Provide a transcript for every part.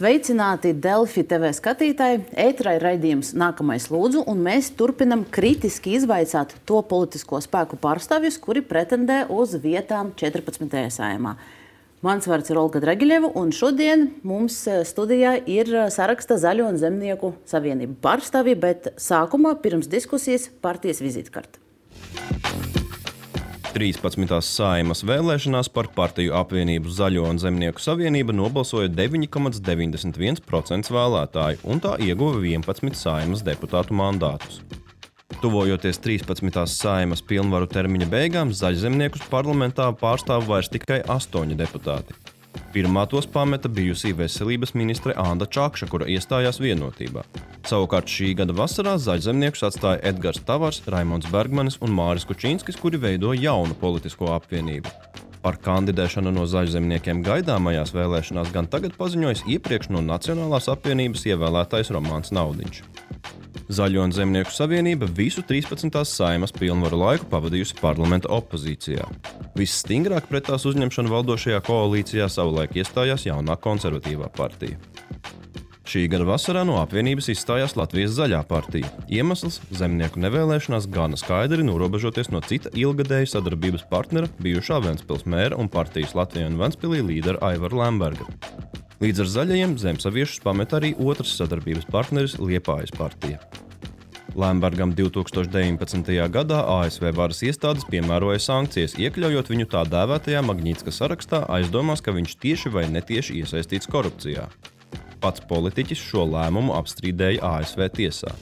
Sveicināti Delfi TV skatītāji, ēterā ir raidījums Nākamais lūdzu, un mēs turpinam kritiski izvaicāt to politisko spēku pārstāvjus, kuri pretendē uz vietām 14. Saeimā. Mans vārds ir Olga Dragiļeva, un šodien mums studijā ir saraksta Zaļo un Zemnieku savienība pārstāvji, bet sākumā pirms diskusijas partijas vizītkarte. 13. Saeimas vēlēšanās par partiju apvienību Zaļo un Zemnieku savienība nobalsoja 9,91% vēlētāju, un tā ieguva 11 Saeimas deputātu mandātus. Tuvojoties 13. Saeimas pilnvaru termiņa beigām, Zaļzemniekus parlamentā pārstāv vairs tikai 8 deputāti. Pirmā tos pameta bijusī veselības ministre Anda Čakša, kura iestājās Vienotībā. Savukārt šī gada vasarā Zaļzemniekus atstāja Edgars Tavars, Raimonds Bergmanis un Māris Kučinskis, kuri veido jaunu politisko apvienību. Par kandidēšanu no Zaļzemniekiem gaidāmajās vēlēšanās gan tagad paziņojas iepriekš no Nacionālās apvienības ievēlētais Romāns Naudiņš. Zaļo un Zemnieku savienība visu 13. Saeimas pilnvaru laiku pavadījusi parlamenta opozīcijā. Visstingrāk pret tās uzņemšanu valdošajā koalīcijā savulaik iestājās jaunā konservatīvā partija. Šī gada vasarā no apvienības izstājās Latvijas Zaļā partija. Iemesls - zemnieku nevēlēšanās gana skaidri norobežoties no cita ilgadēja sadarbības partnera, bijušā Ventspils mēra un partijas Latvijā un Ventspilī līdera Aivara Lemberga. Līdz ar zaļajiem zemsaviešus pamet arī otrs sadarbības partneris Liepājas partija. Lembergam 2019. gadā ASV varas iestādes piemēroja sankcijas, iekļaujot viņu tā dēvētajā Magnitska sarakstā, aizdomās, ka viņš tieši vai netieši iesaistīts korupcijā. Pats politiķis šo lēmumu apstrīdēja ASV tiesā.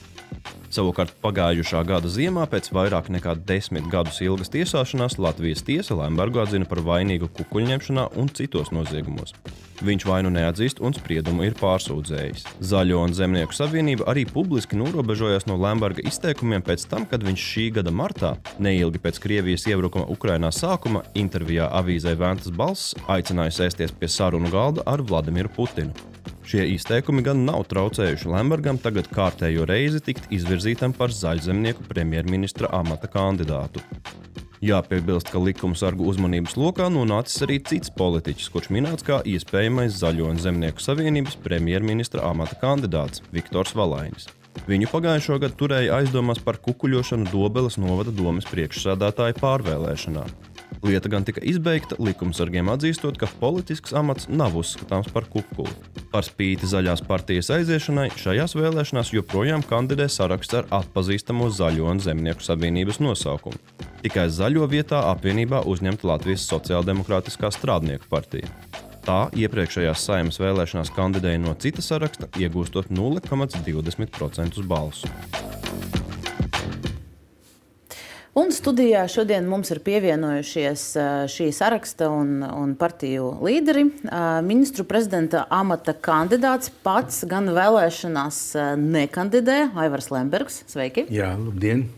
Savukārt pagājušā gada ziemā pēc vairāk nekā 10 gadus ilgas tiesāšanās Latvijas tiesa Lembergu atzina par vainīgu kukuļņemšanā un citos noziegumos. Viņš vainu neatzīst un spriedumu ir pārsūdzējis. Zaļo un Zemnieku savienība arī publiski norobežojās no Lemberga izteikumiem pēc tam, kad viņš šī gada martā, neilgi pēc Krievijas iebrukuma Ukrainā sākuma, intervijā avīzei Ventas balss aicināja sēsties pie sarunu galda ar Vladimiru Putinu. Šie izteikumi gan nav traucējuši Lembergam tagad kārtējo reizi tikt izvirzītam par Zaļzemnieku premjerministra amata kandidātu. Jāpiebilst, ka likumsargu uzmanības lokā nonācis arī cits politiķis, kurš minēts kā iespējamais Zaļo un Zemnieku savienības premjerministra amata kandidāts Viktors Valainis. Viņu pagājušo gadu turēja aizdomās par kukuļošanu Dobeles novada domes priekšsēdētāja pārvēlēšanā. Lieta gan tika izbeigta, likumsargiem atzīstot, ka politisks amats nav uzskatāms par kukuli. Par spīti Zaļās partijas aiziešanai, šajās vēlēšanās joprojām kandidē saraksts ar atpazīstamo Zaļo un Zemnieku savienības nosaukumu. Tikai Zaļo vietā apvienībā uzņemta Latvijas Sociāldemokrātiskā strādnieku partija. Tā iepriekšējās Saeimas vēlēšanās kandidēja no cita saraksta, iegūstot 0,20% balsu. Un studijā šodien mums ir pievienojušies šī saraksta un partiju līderi. Ministru prezidenta amata kandidāts pats gan vēlēšanās nekandidē, Aivars Lembergs. Sveiki! Jā, labdien!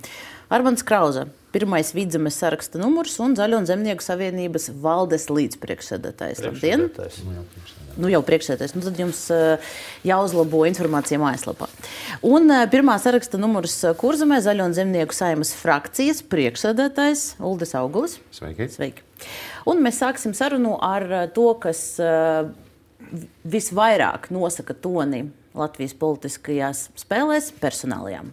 Armands Krauze, pirmais Vidzemes saraksta numurs un Zaļo un Zemnieku savienības valdes līdzpriekšsēdētājs. Labdien! Nu jau priekšsēdētājs. Nu tad jums jāuzlabo informācija mājaslapā. Un pirmā saraksta numurs Kurzemē Zaļo un Zemnieku Saeimas frakcijas priekšsēdētājs Uldis Augulis. Sveiki. Sveiki. Un mēs sāksim sarunu ar to, kas visvairāk nosaka toni Latvijas politiskajās spēlēs - personālijām.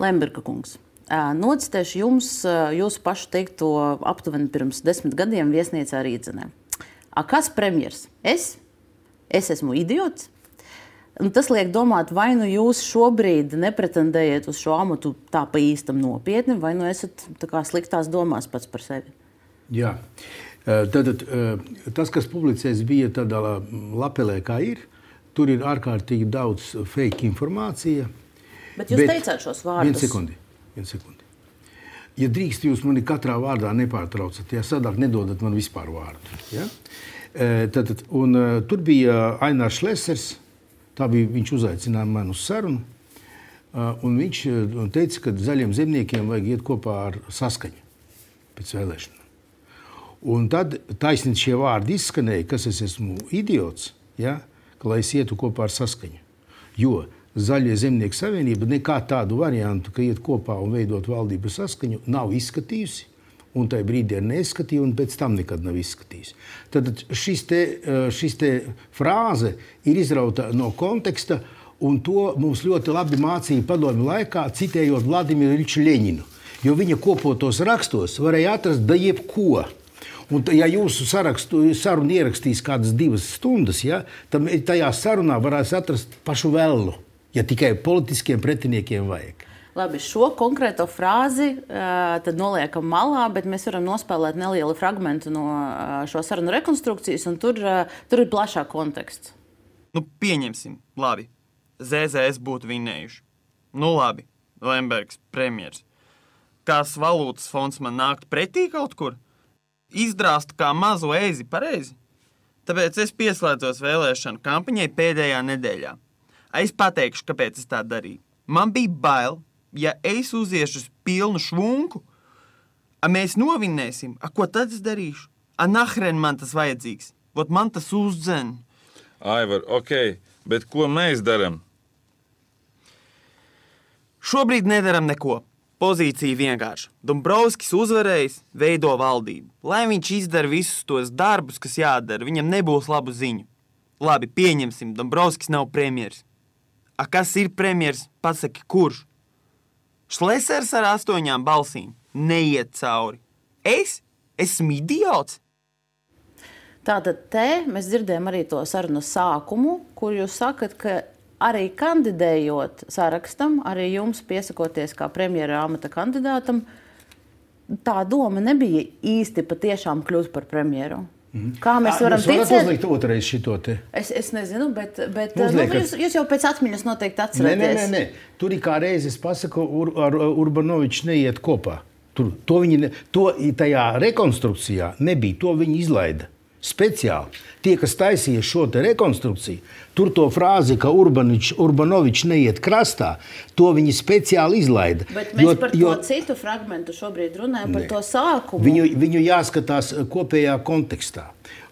Lemberga kungs, nocitēšu jums jūsu pašu teikto aptuveni pirms 10 gadiem viesnīcā Rīdzenē. Kas premjers? Es esmu idiots? Un tas liek domāt, vai nu jūs šobrīd nepretendējat uz šo amatu tā pa īstam nopietni, vai nu esat tā kā sliktās domās pats par sevi? Jā. Tātad tas, kas publicēts bija tādā lapelē, kā ir, tur ir ārkārtīgi daudz fake informācija. Bet jūs teicāt šos vārdus. Vienu sekundi. Ja drīkst, jūs mani katrā vārdā nepārtraucat, ja sadāk nedodat man vispār vārdu. Ja? Tur bija Ainārs Šlesers, viņš uzaicināja mani uz sarunu, un viņš teica, ka Zaļiem zemniekiem vajag iet kopā ar Saskaņu pēc vēlēšanām. Un tad taisnīgi šie vārdi izskanēja, kas es esmu idiots, ja? Ka lai es ietu kopā ar Saskaņu. Jo Zaļie zemnieku savienība nekā tādu variantu, ka iet kopā un veidot valdību saskaņu, nav izskatījusi. Un tajā brīdī ir neizskatīja, un pēc tam nekad nav izskatījusi. Tad šis te frāze ir izrauta no konteksta, un to mums ļoti labi mācīja padomju laikā, citējot Vladimiru Iļiču Ļeņinu. Jo viņa kopotos rakstos varēja atrast da jebko. Un, ja jūsu sarunu ierakstīs kādas 2 stundas, ja, tad tajā sarunā varēs atrast pašu velnu, ja tikai politiskiem pretiniekiem vajag. Labi, šo konkrēto frāzi tad noliekam malā, bet mēs varam nospēlēt nelielu fragmentu no šo sarunu rekonstrukcijas, un tur ir plašāk konteksts. Nu, pieņemsim, labi, ZZS būtu vinējuši. Nu, labi, Lembergs premjers. Kās valūtas fonds man nākt pretī kaut kur? Izdrāst kā mazu ēzi pareizi. Tāpēc es pieslēdzos vēlēšanu kampaņai pēdējā nedēļā. Es pateikšu, kāpēc es tā darīju. Man bija bail, ja es uziešu uz pilnu švunku, mēs novinnēsim, ko tad es darīšu? Nahren man tas vajadzīgs. Vot man tas uzdzen. Aivar, ok, bet ko mēs daram? Šobrīd nedaram neko. Pozīcija vienkārša. Dombrovskis uzvarējis, veido valdību. Lai viņš izdara visus tos darbus, kas jādara, viņam nebūs labu ziņu. Labi, pieņemsim, Dombrovskis nav premjers. Kas ir premjers? Pasaki, kurš? Šlesers ar 8 balsīm neiet cauri. Es esmu idiots. Tātad te mēs dzirdējam arī to sarunu sākumu, kur jūs sakat, ka arī kandidējot sarakstam, arī jums piesakoties kā premjera amata kandidātam, tā doma nebija īsti patiešām kļūt par premjeru. Kā mēs varam ticēt? Jūs varat uzlikt otrais šito te? Es nezinu, bet jūs jau pēc atmiņas noteikti atceraties. Nē. Tur ir kā reizi, es pasaku, ar Urbanoviču neiet kopā. Tajā rekonstrukcijā nebija, to viņi izlaida. Speciāli. Tie, kas taisīja šo te rekonstrukciju, tur to frāzi, ka Urbanovičs neiet krastā, to viņi speciāli izlaida. Bet mēs par to citu fragmentu šobrīd runājam, par to sākumu. Viņu jāskatās kopējā kontekstā.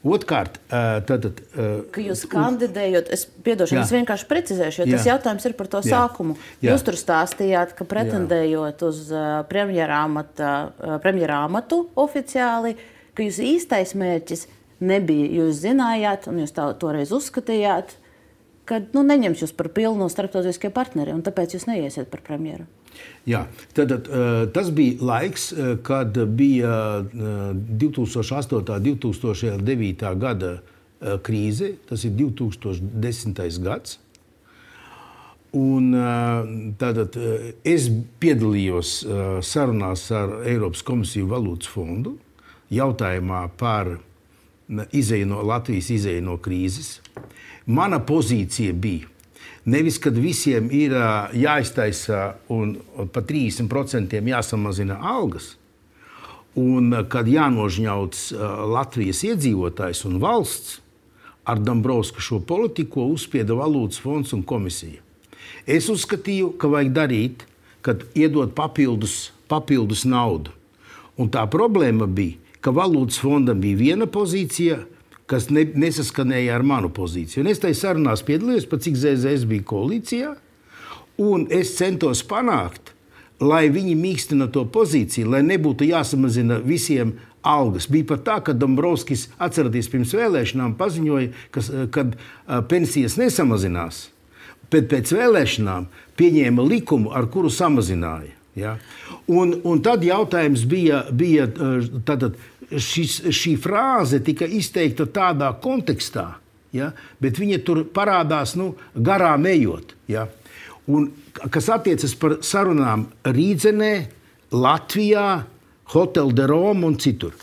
Otkārt, ka jūs kandidējot, es vienkārši precizēšu, jo tas jautājums ir par to sākumu. Jūs tur stāstījāt, ka pretendējot uz premjera amatu oficiāli, ka jūs īstais mērķis nebija, jūs zinājāt, un jūs toreiz uzskatījāt, ka neņems jūs par pilnu starptautiskie partneri, un tāpēc jūs neiesiet par premjeru. Jā, tas bija laiks, kad bija 2008. 2009. gada krīze, tas ir 2010. gads. Un es piedalījos sarunās ar Eiropas komisiju valūtas fondu jautājumā par Latvijas izēju no krīzes. Mana pozīcija bija nevis, kad visiem ir jāiztaisa un pa 30% jāsamazina algas, un kad jānožņauts Latvijas iedzīvotājs un valsts, ar Dombrovska šo politiku uzspieda valūtas fonds un komisija. Es uzskatīju, ka vajag darīt, kad iedot papildus naudu. Un tā problēma bija, ka valūtas fondam bija viena pozīcija, kas nesaskanēja ar manu pozīciju. Un es tai sarunās piedalījos, pat cik ZZS bija koalīcijā, un es centos panākt, lai viņi mīkstina to pozīciju, lai nebūtu jāsamazina visiem algas. Bija pat tā, ka Dombrovskis, atceraties, pirms vēlēšanām paziņoja, kad pensijas nesamazinās, bet pēc vēlēšanām pieņēma likumu, ar kuru samazināja. Ja? Un tad jautājums bija šī frāze tika izteikta tādā kontekstā, ja? Bet viņa tur parādās garām ejot. Ja? Un, kas attiecas par sarunām Rīdzenē, Latvijā, Hotel de Rome un citur.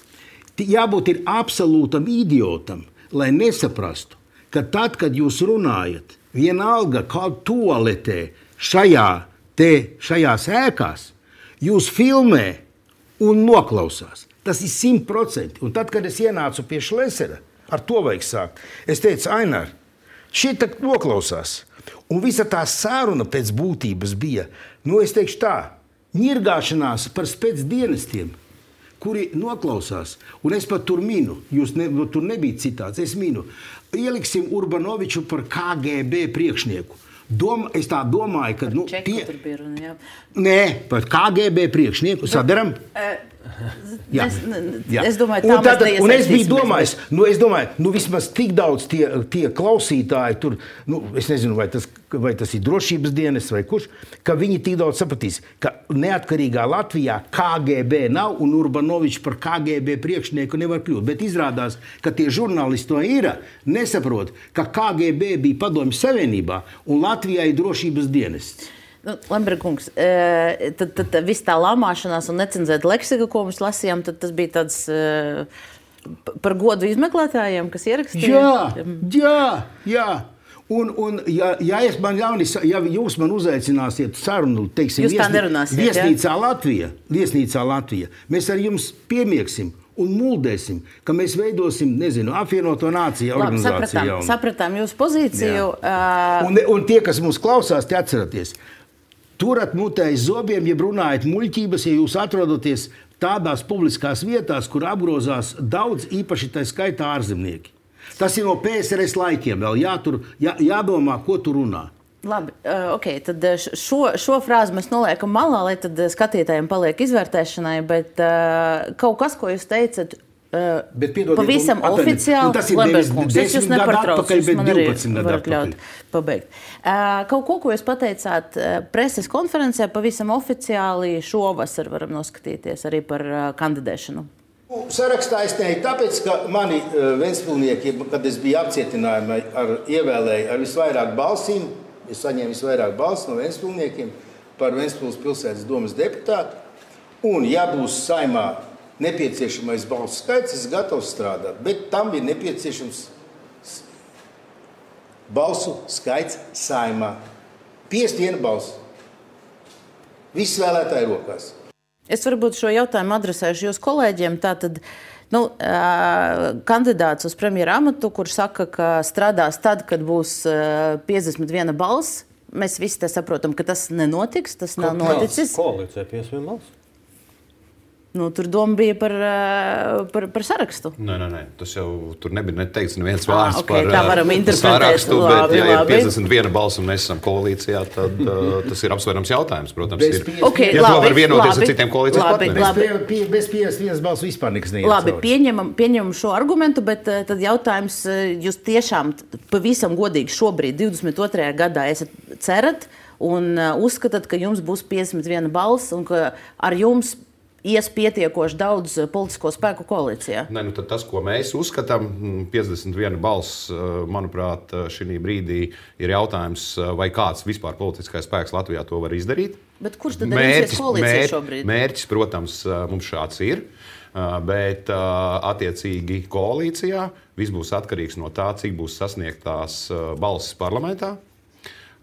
Jābūt ir absolūtam idiotam, lai nesaprastu, ka tad, kad jūs runājat, vienalga kaut toaletē šajās ēkās, jūs filmē un noklausās. Tas ir 100%. Un tad, kad es ienācu pie Šlesera, ar to vajag sākt, es teicu, Ainar, šī tak noklausās. Un visa tā saruna pēc būtības bija, es teikšu tā, ņirgāšanās par spēcdienestiem, kuri noklausās. Un es pat tur minu, tur nebija citāts, es minu, ieliksim Urbanoviču par KGB priekšnieku. Es tā domāju, ka... Tur bija runa, jā. Nē, par KGB priekšnieku sadaram. Es domāju, tā mēs es biju domājis, vismaz tik daudz tie klausītāji tur, es nezinu, vai tas ir drošības dienas vai kurš, ka viņi tik daudz sapratīs, ka neatkarīgā Latvijā KGB nav un Urbanovičs par KGB priekšnieku nevar kļūt. Bet izrādās, ka tie žurnālisti to ir, nesaprot, ka KGB bija Padomju Savienībā un Latvijā ir drošības dienests. Lemberga kungs, tad viss tā lamāšanās un necenzēta leksika, ko mēs lasījām, tad tas bija tāds par godu izmeklētājiem, kas ierakstīja? Jā. Un ja jūs man uzaicināsiet sarunu, teiksim, viesnīcā Latvija, mēs ar jums piemieksim un muldēsim, ka mēs veidosim, apvienoto nāciju organizāciju. Sapratām jūsu pozīciju. Un tie, kas mums klausās, te atceraties, turat mutē aiz zobiem, ja runājat muļķības, ja jūs atrodaties tādās publiskās vietās, kur apgrozās daudz, īpaši tā skaitā ārzemnieki. Tas ir no PSRS laikiem vēl jādomā, ko tu runā. Labi, tad šo frāzi mēs noliekam malā, lai tad skatītājiem paliek izvērtēšanai, bet kaut kas, ko jūs teicat, pavisam oficiāli, Lemberga kungs, es jūs nepārtraucu, jūs man arī varat ļaut pabeigt. Kaut ko jūs pateicāt preses konferencē, pavisam oficiāli šovasar varam noskatīties arī par kandidēšanu. Sarakstā es neeju tāpēc, ka mani ventspilnieki, kad es biju apcietinājumā, ievēlēju ar visvairāk balsīm, es saņēmu visvairāk balsis no ventspilniekiem par Ventspils pilsētas domas deputātu, un ja būs saimā nepieciešamais balsu skaits, es gatavs strādāt, bet tam bija nepieciešams balsu skaits saimā. 51 balsu. Viss vēlētāji rokās. Es varbūt šo jautājumu adresēšu jūs kolēģiem. Tātad, kandidāts uz premjera amatu, kurš saka, ka strādās tad, kad būs 51 balss. Mēs visi te saprotam, ka tas nenotiks, tas nav noticis. Koalīcija 51 balss? Tur doma bija par sarakstu. Nē. Tas jau tur nebija neteikts neviens vārds par sarakstu, bet ja ir 51 balss un mēs esam koalīcijā, tad tas ir apsverams jautājums, protams. To var vienoties ar citiem koalīcijas partneriem. Bez 51 balss vispār nekas neiet cauri. Labi, pieņemam šo argumentu, bet tad jautājums, jūs tiešām pavisam godīgi šobrīd, 22. gadā, esat cerat un uzskatāt, ka jums būs 51 balss un ka ar jums ies pietiekoši daudz politisko spēku koalīcijā? Nē, tad tas, ko mēs uzskatām, 51 balss, manuprāt, šī brīdī ir jautājums, vai kāds vispār politiskais spēks Latvijā to var izdarīt. Bet kurš tad ir koalīcija šobrīd? Mērķis, protams, mums šāds ir, bet attiecīgi koalīcijā viss būs atkarīgs no tā, cik būs sasniegtās balsis parlamentā.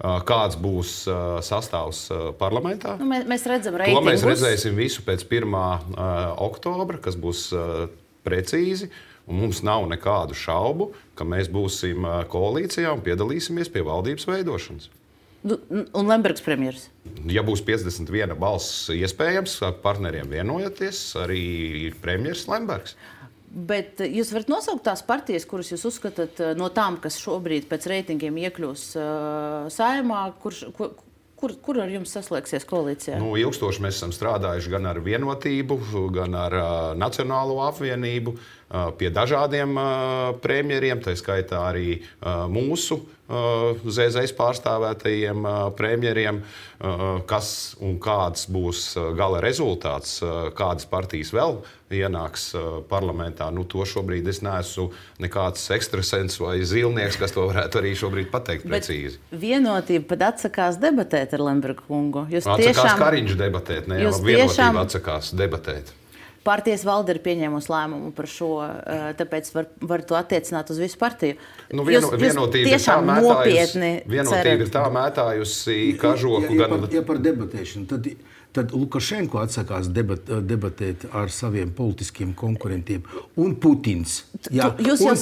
Kāds būs sastāvs parlamentā. Mēs redzam reitingus. To mēs redzēsim visu pēc 1. oktobra, kas būs precīzi. Un mums nav nekādu šaubu, ka mēs būsim koalīcijā un piedalīsimies pie valdības veidošanas. Un Lembergs premjeras? Ja būs 51 balss iespējams, partneriem vienojoties, arī premjeras Lembergs. Bet jūs varat nosaukt tās partijas, kuras jūs uzskatāt no tām, kas šobrīd pēc reitingiem iekļūs Saeimā, kur ar jums saslēgsies koalīcijā? Ilgstoši mēs esam strādājuši gan ar Vienotību, gan ar Nacionālo apvienību, pie dažādiem premjeriem, tā skaitā arī mūsu ZZS pārstāvētajiem premjeriem, kas un kāds būs gala rezultāts, kādas partijas vēl ienāks parlamentā. To šobrīd es neesmu nekāds ekstrasens vai zilnieks, kas to varētu arī šobrīd pateikt precīzi. Vienotība pat atsakās debatēt ar Lemberga kungu. Atsakās Kariņš debatēt, ne jau Vienotība atsakās debatēt. Partijas valde ir pieņēmusi lēmumu par šo, tāpēc var to attiecināt uz visu partiju. Vienotība tiešām nopietni ir tā mētājusi kažoku. Ja par debatēšanu, tad Lukašenko atsakās debatēt ar saviem politiskiem konkurentiem. Un Putins. Jūs jau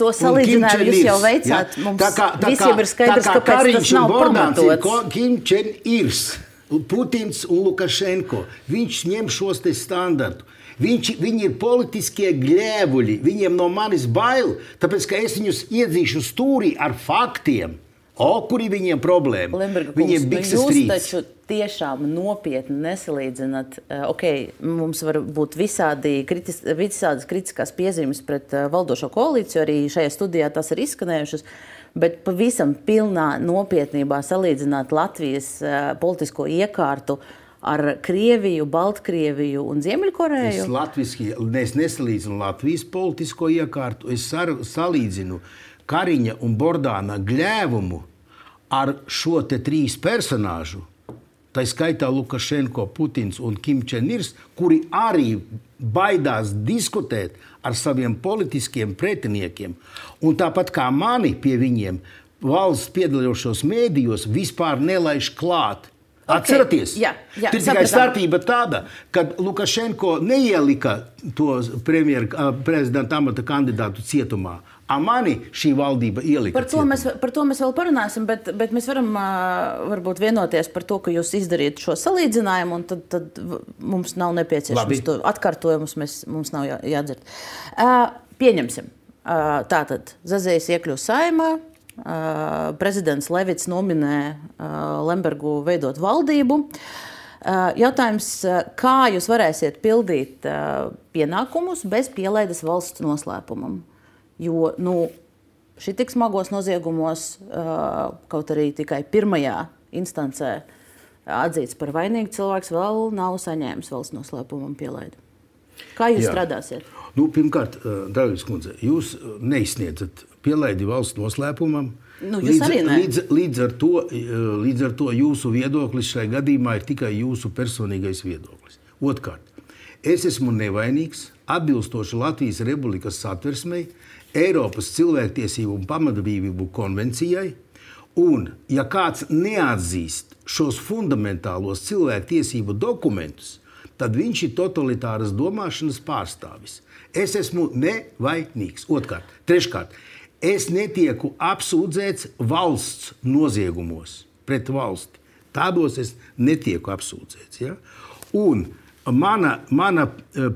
to salīdzinājumu jūs jau veicāt. Mums visiem ir skaidrs, kāpēc tas nav pamatots. Kim Čen-Irs. Putins un Lukašenko. Viņš ņem šos te standartu. Viņi ir politiskie gļēvuļi. Viņiem no manis bail, tāpēc, ka es viņus iedzīšu stūrī ar faktiem. Kur ir viņiem problēma? Lemberga Viņiem kungs, bikses jūs trīc. taču tiešām nopietni nesalīdzināt. Mums var būt visādas kritiskās piezīmes pret valdošo koalīciju, arī šajā studijā tas ir izskanējušas, bet pavisam pilnā nopietnībā salīdzināt Latvijas politisko iekārtu ar Krieviju, Baltkrieviju un Ziemeļkoreju? Es nesalīdzinu Latvijas politisko iekārtu, es salīdzinu Kariņa un Bordāna gļēvumu ar šo te 3 personāžu, tā skaitā Lukašenko, Putins un Kim Čenirs, kuri arī baidās diskutēt ar saviem politiskiem pretiniekiem. Un tāpat kā mani pie viņiem valsts piedalījušos mēdījos vispār nelaiž klāt. Atceraties? Jā, Tur tikai starpība tāda, kad Lukašenko neielika to prezidenta amata kandidātu cietumā. Mani šī valdība ielika cietumā. Par to mēs vēl parunāsim, bet mēs varam varbūt vienoties par to, ka jūs izdarījat šo salīdzinājumu, un tad mums nav nepieciešams to atkārtojumus, mums nav jādzird. Pieņemsim. Tātad Zazējs iekļūst Saeimā. Prezidents Levits nominē Lembergu veidot valdību. Jautājums, kā jūs varēsiet pildīt pienākumus bez pielaides valsts noslēpumam? Jo šī tik smagos noziegumos, kaut arī tikai pirmajā instancē atzīts par vainīgu, cilvēks vēl nav saņēmis valsts noslēpumam pielaidi. Kā jūs strādāsiet? Pirmkārt, Dārgais kundze, jūs neizsniedzat pielaidi valsts noslēpumam. Jūs arī ne. Līdz ar to jūsu viedoklis šai gadījumā ir tikai jūsu personīgais viedoklis. Otrkārt, es esmu nevainīgs, atbilstoši Latvijas Republikas satversmei, Eiropas cilvēktiesību un pamatbrīvību konvencijai, un ja kāds neatzīst šos fundamentālos cilvēktiesību dokumentus, tad viņš ir totalitāras domāšanas pārstāvis. Es esmu nevainīgs. Treškārt, es netieku apsūdzēts valsts noziegumos pret valsti. Tādos es netieku apsūdzēts. Ja? Un mana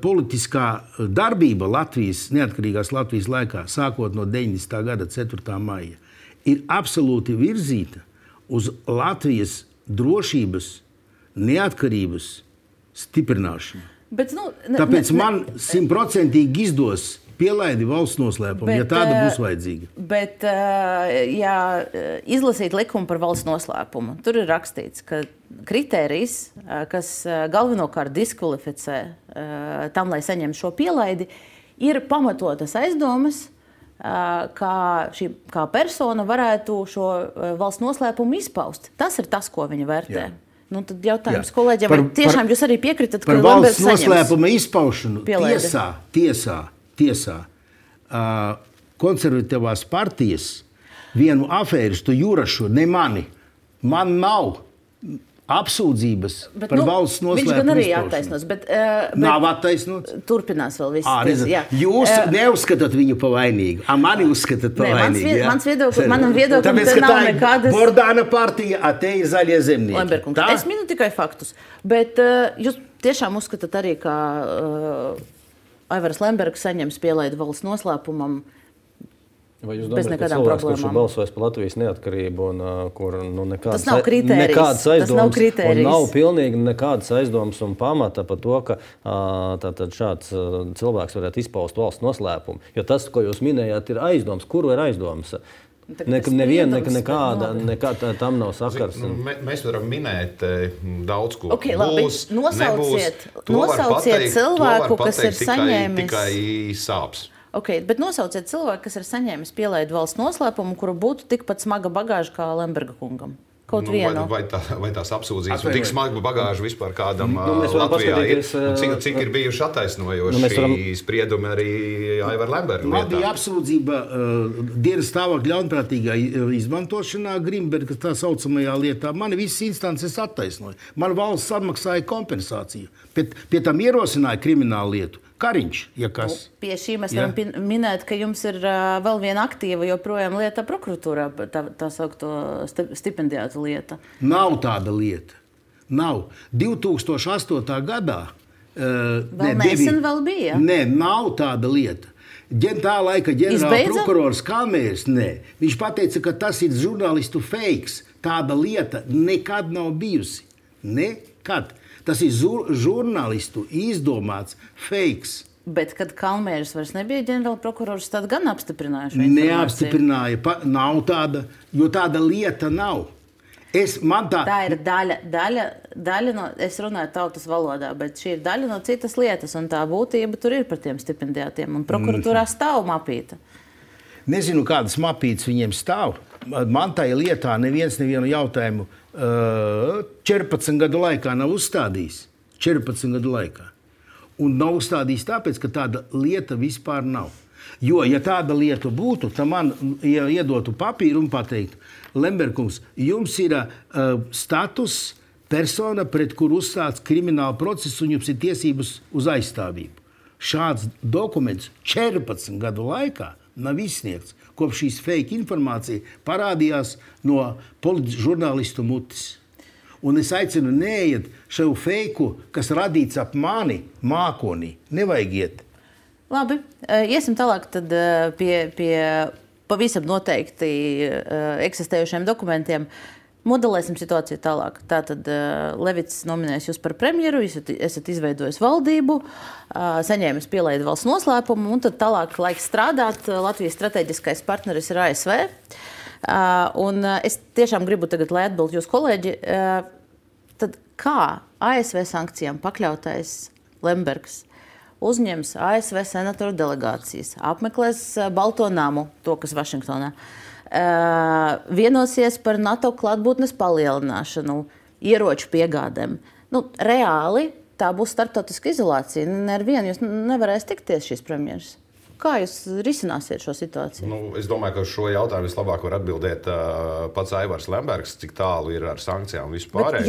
politiskā darbība neatkarīgās Latvijas laikā, sākot no 90. gada 4. maija, ir absolūti virzīta uz Latvijas drošības, neatkarības stiprināšanu. Tāpēc man 100% izdos pielaidi valsts noslēpumu, ja tāda būs vajadzīga. Bet, ja izlasīt likumu par valsts noslēpumu, tur ir rakstīts, ka kritērijs, kas galvenokārt diskvalificē tam, lai saņem šo pielaidi, ir pamatotas aizdomas, kā persona varētu šo valsts noslēpumu izpaust. Tas ir tas, ko viņa vērtē. Jā. Tad jautājums kolēģiem, vai tiešām jūs arī piekritat, ka par valsts noslēpuma izpaušanu tiesā konservatīvās partijas vienu afēristu Jurašu, ne mani. Man nav apsūdzības par valsts noslēpumu izpaušanu. Viņš gan arī attaisnos, bet nav attaisnots. Turpinās vēl viss. Jūs neuzskatāt viņu pa vainīgu, mani uzskatāt pa vainīgu. Manam viedoklim te nav nekādas... Bordāna partija, te ir zaļie zemnieki. Lemberkungs, es minu tikai faktus, bet jūs tiešām uzskatāt arī, ka Aivars Lembergs saņems pielaidi valsts noslēpumam Vai jūs domājat, ka cilvēks, kurš ir balsojis par Latvijas neatkarību un kur nekādas aizdomas un nav pilnīgi nekādas aizdomas un pamata par to, ka šāds cilvēks varētu izpaust valsts noslēpumu? Jo tas, ko jūs minējāt, ir aizdomas. Kuru ir aizdomas? Nekāda tam nav sakars. Mēs varam minēt daudz ko. Būs, nosauciet cilvēku, kas ir saņēmis... Tikai sāps. Bet nosauciet cilvēku, kas ir saņēmis pielaidi valsts noslēpumu, kuru būtu tikpat smaga bagāža kā Lemberga kungam. Kaut vienu. Vai tās apsūdzības un tik smaga bagāža vispār kādam Latvijā ir? Cik ir bijuši attaisnojoši spriedumi arī Aivar Lemberga lietā? Man bija apsūdzība dienas stāvokļa ļaunprātīgā izmantošanā Grimberga tā saucamajā lietā. Mani visas instances attaisnoja. Man valsts atmaksāja kompensāciju. Pie tam ierosināja kriminālu lietu. Kariņš, ja kas. Pie šī mēs varam minēt, ka jums ir vēl viena aktīva joprojām lieta prokuratūrā, tā saukto stipendiātu lieta. Nav tāda lieta. Nav. 2008. gadā... Vēl nesen vēl bija? Nē, nav tāda lieta. Tā laika ģenerāla Izbeidza? prokurors Kalmērs, viņš pateica, ka tas ir žurnālistu fakes. Tāda lieta nekad nav bijusi. Nekad. Tas ir žurnālistu izdomāts fakes. Bet, kad Kalmērs vairs nebija ģenerāla prokurors, tad gan apstiprināja šo informāciju. Neapstiprināja. Nav tāda, jo tāda lieta nav. Tā ir daļa no, es runāju tautas valodā, bet šī ir daļa no citas lietas, un tā būtība tur ir par tiem stipendijātiem, un prokuratūrā stāv mapīta. Nezinu, kādas mapītes viņiem stāv. Man tajā lietā nevienu jautājumu 14 gadu laikā nav uzstādījis. 14 gadu laikā. Un nav uzstādījis tāpēc, ka tāda lieta vispār nav. Jo, ja tāda lieta būtu, tad man iedotu papīru un pateikt, Lemberkungs, jums ir status persona, pret kuru uzstāts krimināla process, un jums ir tiesības uz aizstāvību. Šāds dokuments 14 gadu laikā nav izsniegts, kopš šīs fake informācija parādījās no žurnālistu mutes. Un es aicinu neiet šo feiku, kas radīts ap mani mākonī. Nevajag iet. Labi, iesim tālāk tad pie pavisam noteikti eksistējušiem dokumentiem. Modelēsim situāciju tālāk. Tātad Levits nominēs jūs par premjeru, esat izveidojis valdību, saņēmis pielaidu valsts noslēpumu, un tad tālāk laiks strādāt. Latvijas strateģiskais partneris ir ASV. Un es tiešām gribu tagad, lai atbild jūs kolēģi, tad kā ASV sankcijām pakļautais Lembergs uzņems ASV senatoru delegācijas, apmeklēs Balto namu, to, kas Vašingtonā, vienosies par NATO klātbūtnes palielināšanu, ieroču piegādēm. Reāli tā būs starptautiska izolācija. Ar vienu jūs nevarēs tikties šīs premjeras. Kā jūs risināsiet šo situāciju? Es domāju, ka šo jautājumu vislabāk var atbildēt pats Aivars Lembergs, cik tālu ir ar sankcijām vispār.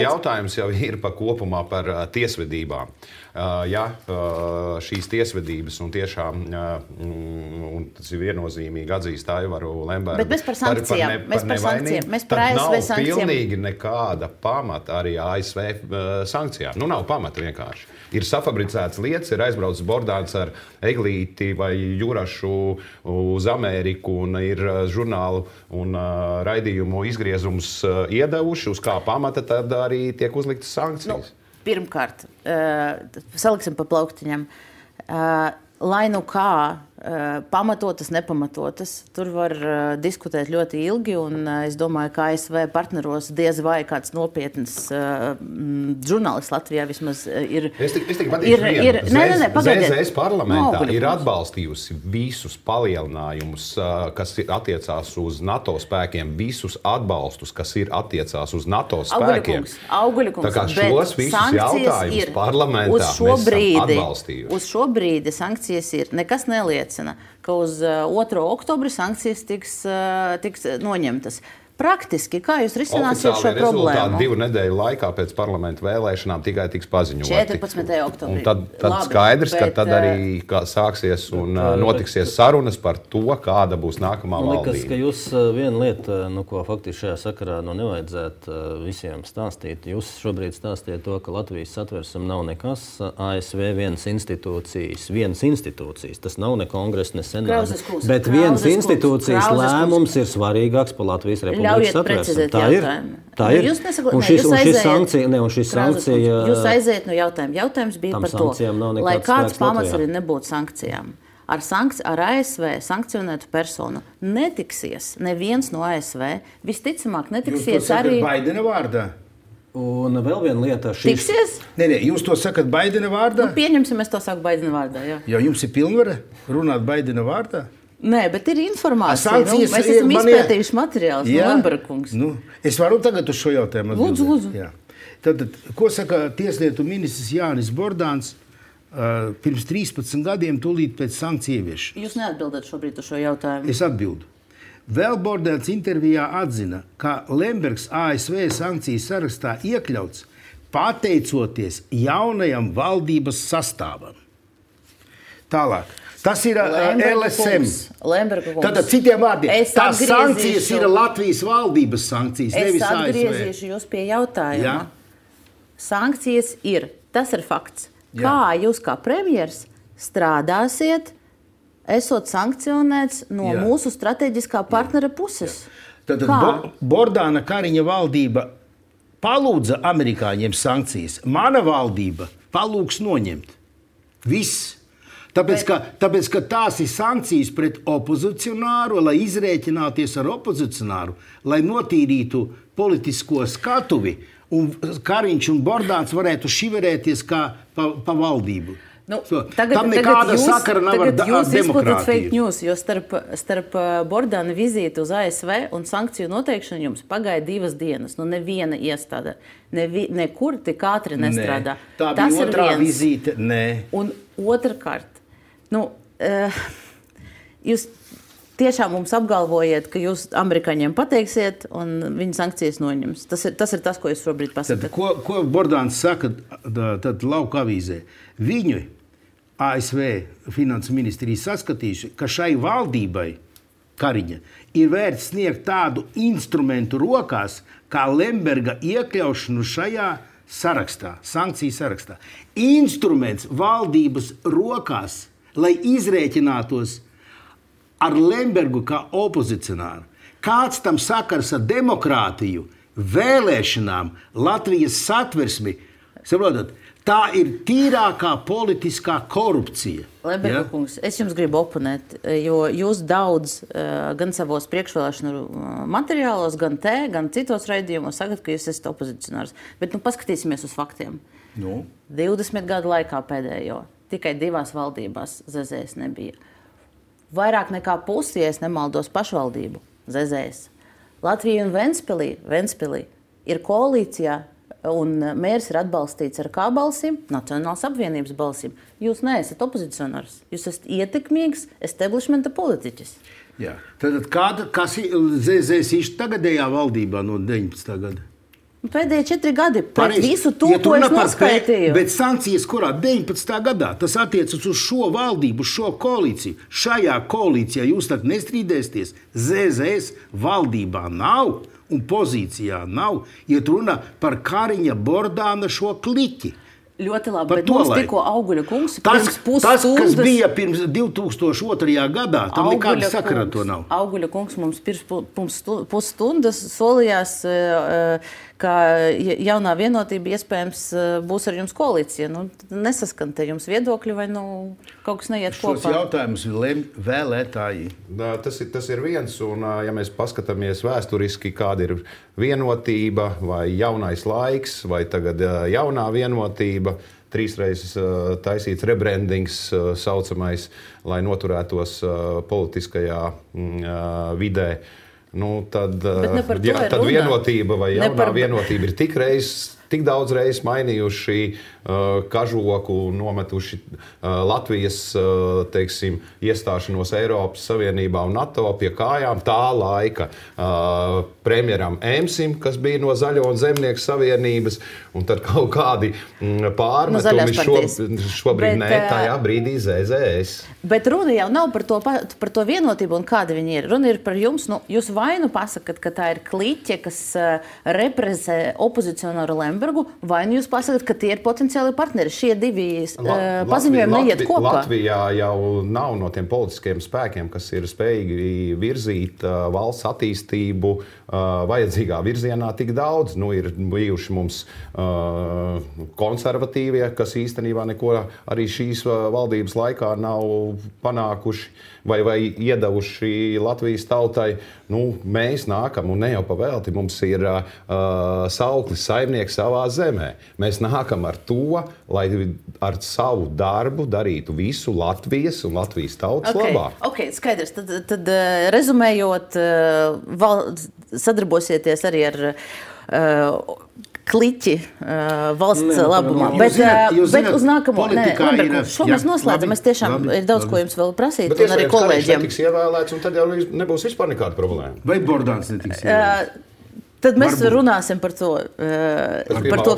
Jautājums jau ir kopumā par tiesvedībām. Ja šīs tiesvedības un tiešām un tas ir viennozīmīgi atzīst Aivaru Lembergu. Bet mēs par sankcijām. Mēs par ASV sankcijām. Nav pilnīgi nekāda pamata arī ASV sankcijām. Nav pamata vienkārši. Ir safabricēts lietas, ir aizbraucis Bordāns ar Eglīti vai Jurašu uz Ameriku un ir žurnālu un raidījumu izgriezumus iedevuši, uz kā pamata tad arī tiek uzliktas sankcijas. Pirmkārt, saliksim pa plauktiņam. Lai kā pamatotas, nepamatotas, tur var diskutēt ļoti ilgi, un es domāju, ka ASV partneros diez vai kāds nopietns žurnālists Latvijā vismaz ir. Es tikai patīšu ZZS parlamentā ir atbalstījusi visus palielinājumus, kas attiecās uz NATO spēkiem, visus atbalstus, kas ir attiecās uz NATO spēkiem. Auguļkungs, tā kā šos visus jautājumus parlamentā mēs esam atbalstījuši. Uz šo brīdi sankcijas ir. Nekas neliecina, ka uz 2. oktobri sankcijas tiks noņemtas. Praktiski, kā jūs risināsiet šo problēmu? Oficiāli rezultāti 2 nedēļu laikā pēc parlamenta vēlēšanām tikai tiks paziņoti. 14. oktobrī. Un tad skaidrs, ka tad arī sāksies un notiksies sarunas par to, kāda būs nākamā valdība. Liekas, ka jūs viena lieta, ko faktiski šajā sakarā nevajadzētu visiem stāstīt. Jūs šobrīd stāstījat to, ka Latvijas satversme nav nekas, ASV vienas institūcijas. Tas nav ne kongress, ne senāts, bet vienas institūcijas lēmums ir svarīgāks par Latvijas republiku. Ļaujiet precizēt jautājumu. Tā ir. Un šis sankcija... Jūs aiziet no jautājuma. Jautājums bija par to, lai kāds pamats arī nebūtu sankcijām. Ar ASV sankcionētu personu netiksies neviens no ASV. Visticamāk netiksies arī... Baidena vārdā? Un vēl viena lieta... Tiksies? Nē, jūs to sakat Baidena vārdā? Pieņemsim, es to saku Baidena vārdā, jā. Jo jums ir pilnvara runāt Baidena vārdā? Nē, bet ir informācija. Mēs esam izpētījuši materiālus no Lemberkungs. Es varu tagad uz šo jautājumu atbildēt. Lūdzu. Tad, ko saka tieslietu ministrs Jānis Bordāns pirms 13 gadiem tūlīt pēc sankciju ieviešanas? Jūs neatbildat šobrīd uz šo jautājumu. Es atbildu. Vēl Bordāns intervijā atzina, ka Lembergs ASV sankciju sarakstā iekļauts pateicoties jaunajam valdības sastāvam. Tālāk. Tas ir LSM. Tātad citiem vārdiem, tās sankcijas ir Latvijas valdības sankcijas, nevis ASV. Es atgriezīšu jūs pie jautājuma. Sankcijas ir, tas ir fakts. Kā jūs kā premjers strādāsiet, esot sankcionēts no mūsu strateģiskā partnera puses. Tad Bordāna Kariņa valdība palūdza amerikāņiem sankcijas. Mana valdība palūgs noņemt. Viss. Tāpēc, ka tās ir sankcijas pret opozicionāru, lai izrēķināties ar opozicionāru, lai notīrītu politisko skatuvi, un Kariņš un Bordāns varētu šiverēties kā pa valdību. Tam nekāda sakara nav ar demokrātiju. Jūs izplatat fake news, jo starp Bordāna vizīti uz ASV un sankciju noteikšanu jums pagāja 2 dienas. Neviena iestāde, nekur tik ātri nestrādā. Tā bija otrā vizīte, Un otrkārt, jūs tiešām mums apgalvojat, ka jūs amerikāņiem pateiksiet un viņi sankcijas noņems. Tas ir tas, ko jūs šobrīd pasakat. Ko Bordāns saka tad lauka avīzē? Viņu ASV finanses ministrija saskatījuši, ka šai valdībai Kariņa ir vērts sniegt tādu instrumentu rokās, kā Lemberga iekļaušanu šajā sarakstā, sankciju sarakstā. Instruments valdības rokās, lai izrēķinātos ar Lembergu kā opozicionāru. Kāds tam sakars ar demokrātiju, vēlēšanām, Latvijas satversmi? Saprotat? Tā ir tīrākā politiskā korupcija. Lemberga kungs, es jums gribu oponēt, jo jūs daudz gan savos priekšvēlēšanu materiālos, gan gan citos raidījumos sakat, ka jūs esat opozicionārs. Bet paskatīsimies uz faktiem. 20 gadu laikā pēdējo tikai 2 valdībās ZZS nebija. Vairāk nekā pusi, ja es nemaldos, pašvaldību ZZS. Latvija un Ventspilī ir koalīcijā, un mērs ir atbalstīts ar kā balsīm? Nacionālās apvienības balsīm. Jūs neesat opozicionārs. Jūs esat ietekmīgs establishmenta politiķis. Jā. Tad kas ir ZZS tagadējā valdībā no 19. gada? Pēdējie 4 gadi. Pret visu to, ko es noskaitīju. Bet sankcijas kurā? 19. gadā. Tas attiecas uz šo valdību, uz šo koalīciju. Šajā koalīcijā jūs tad nestrīdēsties. ZZS valdībā nav un pozīcijā nav. Iet runa par Kariņa Bordāna šo kliķi. Ļoti labi, bet mums tikko Auguļa kungs pirms pusstundas... Tas, kas bija pirms 2002. gadā, tam nekāda sakara to nav. Auguļa kungs mums pirms pusstundas solījās, ka jaunā vienotība iespējams būs ar jums koalīcija. Nesaskan te jums viedokļi vai kaut kas neiet kopā? Šos jautājumus vēlētāji. Tas ir viens, un ja mēs paskatāmies vēsturiski, kāda ir vienotība vai jaunais laiks, vai tagad jaunā vienotība, 3 reizes taisīts rebrandings saucamais, lai noturētos politiskajā vidē. Tad vienotība vai jaunā vienotība ir tik daudz reizes mainījuši kažoku, nometuši Latvijas iestāšanos Eiropas Savienībā un NATO pie kājām tā laika premjeram Emsim, kas bija no Zaļo un Zemnieku savienības, un tad kaut kādi pārmetumi šobrīd tajā brīdī ZZS. Bet runa jau nav par to vienotību un kāda viņi ir. Runa ir par jums. Jūs vai pasakat, ka tā ir kliķe, kas reprezentē opozicionāru Lembergu, vai jūs pasakat, ka tie ir potenciāli partneri. Šie divi paziņojumi neiet kopā. Latvijā jau nav no tiem politiskiem spēkiem, kas ir spējīgi virzīt valsts attīstību vajadzīgā virzienā tik daudz. Ir bijuši mums konservatīvie, kas īstenībā neko arī šīs valdības laikā nav panākuši vai iedavuši Latvijas tautai. Mēs nākam, un ne jau pavēlti, mums ir sauklis saimnieks savā zemē. Mēs nākam ar to, lai ar savu darbu darītu visu Latvijas un Latvijas tautas labā. Skaidrs. Tad rezumējot, sadarbosieties arī ar kliķi valsts labumā. Bet uz nākamo... Šo mēs noslēdzam. Es tiešām ir daudz, ko jums vēl prasīt, un arī kolēģiem. Bet netiks ievēlēts, un tad jau nebūs vispār nekāda problēma. Vai Bordāns netiks ievēlēts? Tad mēs runāsim par to,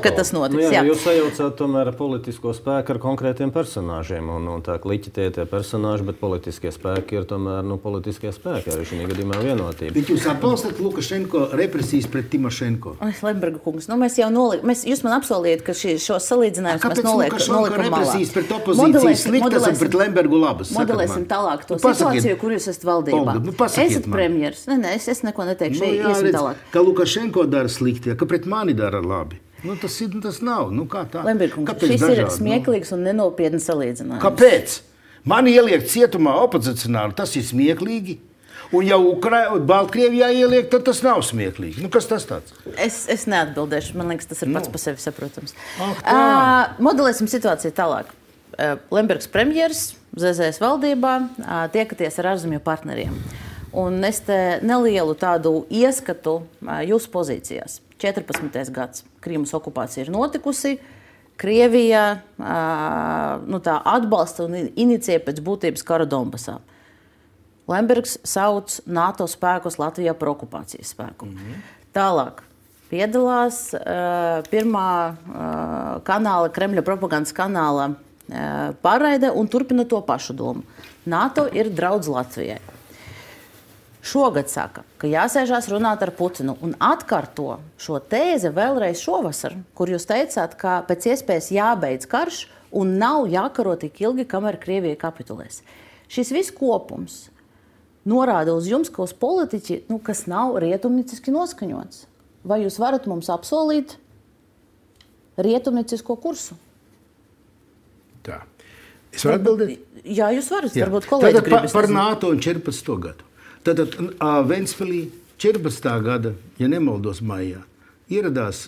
ka tas notiks. Jūs sajaucāt tomēr politisko spēku ar konkrētiem personāžiem. Un tā kliķi tie personāži, bet politiskie spēki ir tomēr politiskie spēki. Arī šī gadījumā vienotība. Bet jūs atbalstat Lukašenko represijas pret Timošenko? Lemberga kungs, mēs jau jūs man apsolījāt, ka šos salīdzinājumus mēs nolikam malā. Represijas pret opozīciju sliktas un pret Lembergu labas? Modelēsim tālāk to situāciju, kur jūs esat valdībā. Esat premjers. Es neko neteikšu. Iesim tālāk. Ka Lukašenko dara slikti, ka pret mani dara labi. Tas nav. Kā tā? Lemberkungs, šis ir smieklīgs un nenopietns salīdzinājums. Kāpēc? Mani ieliek cietumā opozicionāli, tas ir smieklīgi. Un jau Baltkrievijā ieliek, tad tas nav smieklīgi. Kas tas tāds? Es neatbildēšu. Man liekas, tas ir pats par sevi saprotams. Modelēsim situāciju tālāk. Lembergs premjers, ZZS valdībā, tiekaties ar ārzemju partneriem. Un es te nelielu tādu ieskatu jūsu pozīcijās. 14. gads. Krīmas okupācija ir notikusi. Krievija tā atbalsta un inicijē pēc būtības karu Donbasā. Lembergs sauc NATO spēkus Latvijā par okupācijas spēku. Tālāk piedalās pirmā kanāla, Kremļa propagandas kanāla pārraide un turpina to pašu domu. NATO ir draudz Latvijai. Šogad saka, ka jāsēžās runāt ar Putinu un atkārto šo tēzi vēlreiz šovasar, kur jūs teicāt, ka pēc iespējas jābeidz karš un nav jākaro tik ilgi, kamēr Krievija kapitulēs. Šis viss kopums norāda uz jums, ka uz politiķi, kas nav rietumnieciski noskaņots. Vai jūs varat mums apsolīt rietumniecisko kursu? Tā. Es varu atbildēt? Jā, jūs varat. Varbūt kolēģi gribas. Par NATO un 14. gadu. Tātad Ventspilī 14. gada, ja nemaldos maijā, ieradās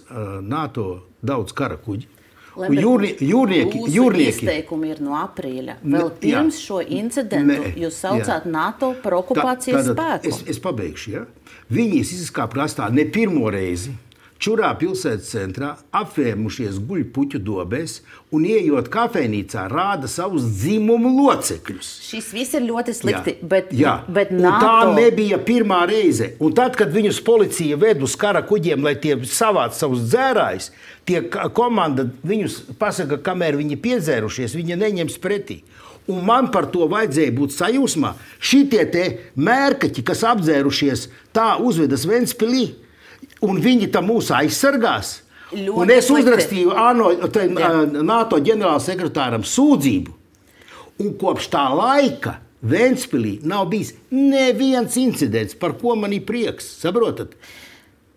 NATO daudz kara kuģi. Jūrnieki. Izteikumi ir no aprīļa. Vēl pirms šo incidentu jūs saucāt NATO par okupācijas spēku. Es pabeigšu, ja? Viņi izskāpa krastā ne pirmo reizi. Čurā pilsētas centrā apvēmušies guļpuķu dobēs un ieejot kafejnīcā rāda savus dzimumu locekļus. Šis viss ir ļoti slikti, bet NATO... Un tā nebija pirmā reize. Un tad, kad viņus policija ved uz kara kuģiem, lai tie savāc savus dzērājus, tie komanda viņus pasaka, kamēr viņi piedzērušies, viņi neņems pretī. Un man par to vajadzēja būt sajūsmā. Šitie te mērkaķi, kas apdzērušies, tā uzvedas Ventspilī. Un viņi tam mūs aizsargās. Un es uzrakstīju NATO ģenerālsekretāram sūdzību. Un kopš tā laika Ventspilī nav bijis neviens incidents, par ko man ir prieks. Saprotat?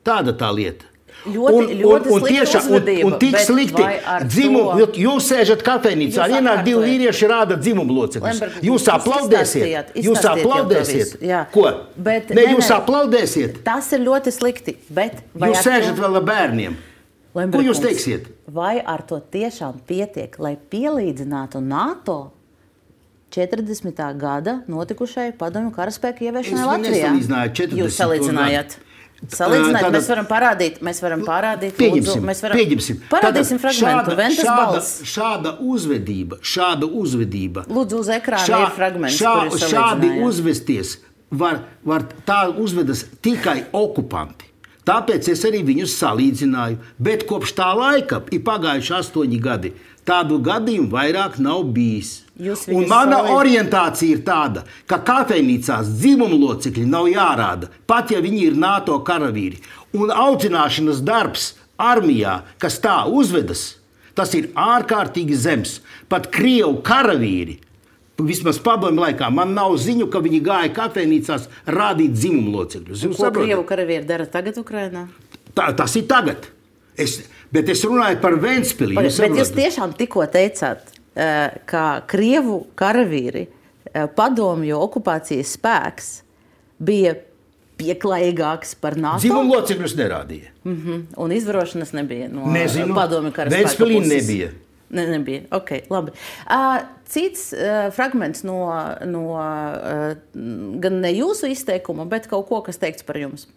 Tāda tā lieta. Ļoti un tik slikti dzimumu. Jūs sēžat kafejnīcā, ienāk divi vīrieši rāda dzimumu locekļus. Jūs aplaudēsiet. Jūs aplaudēsiet. Ko? Jūs aplaudēsiet. Tas ir ļoti slikti. Jūs sēžat vēl ar bērniem. Ko jūs teiksiet? Vai ar to tiešām pietiek, lai pielīdzinātu NATO 40. gada notikušai padomju karaspēku ieviešanai Latvijā? Jūs salīdzinājāt. Salīdzināt, mēs varam parādīt, pieņemsim. Parādīsim fragmentu, Ventas balss. Šāda uzvedība. Lūdzu, uz ekrāna ir fragments, kur jūs šādi uzvesties tā uzvedas tikai okupanti. Tāpēc es arī viņus salīdzināju. Bet kopš tā laika ir pagājuši 8 gadi. Tādu gadījumu vairāk nav bijis. Un mana orientācija ir tāda, ka kafejnīcās dzimumu locekļi nav jārāda, pat ja viņi ir NATO karavīri. Un audzināšanas darbs armijā, kas tā uzvedas, tas ir ārkārtīgi zems. Pat Krievu karavīri, vismaz padomju laikā, man nav ziņu, ka viņi gāja kafejnīcās rādīt dzimumu locekļus. Ko Krievu karavīri dara tagad Ukrainā? Tas ir tagad. Bet es runāju par Ventspili. Bet jūs tiešām tikko teicāt, ka Krievu karavīri padomju okupācijas spēks bija pieklājīgāks par NATO. Dzimumu locekļus nerādīja. Un izvarošanas nebija no padomju karaspēka puses. Ventspilī nebija. Nebija. Ok, labi. Cits fragments no gan ne jūsu izteikuma, bet kaut ko, kas teikts par jums.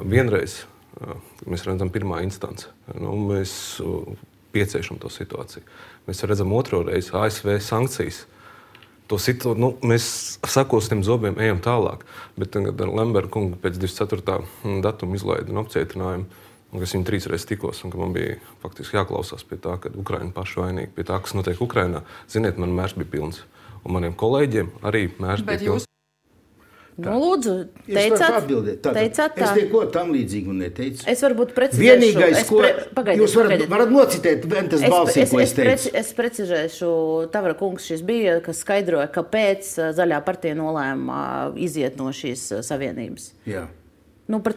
Vienreiz mēs redzam pirmā instance. Mēs pieciešam to situāciju. Mēs redzam otro reizi ASV sankcijas. Mēs sakostiem zobiem ejam tālāk. Bet tagad Lemberga kunga pēc 24. datuma izlaida apcietinājumu, kas viņu 3 reizes tikos, un ka man bija faktiski jāklausās pie tā, ka Ukraina paši vainīgi pie tā, kas notiek Ukrainā. Ziniet, man mērs bija pilns. Un maniem kolēģiem arī mērs bija pilns. Lūdzu, teicāt tā. Es neko tam līdzīgu neteicu. Es varbūt precizēšu. Vienīgais, ko jūs varat nocitēt, Ventas balsī, ko es teicu. Es precizēšu, Tavara kungs šis bija, kas skaidroja, kāpēc Zaļā partija nolēma iziet no šīs savienības. Jā. Par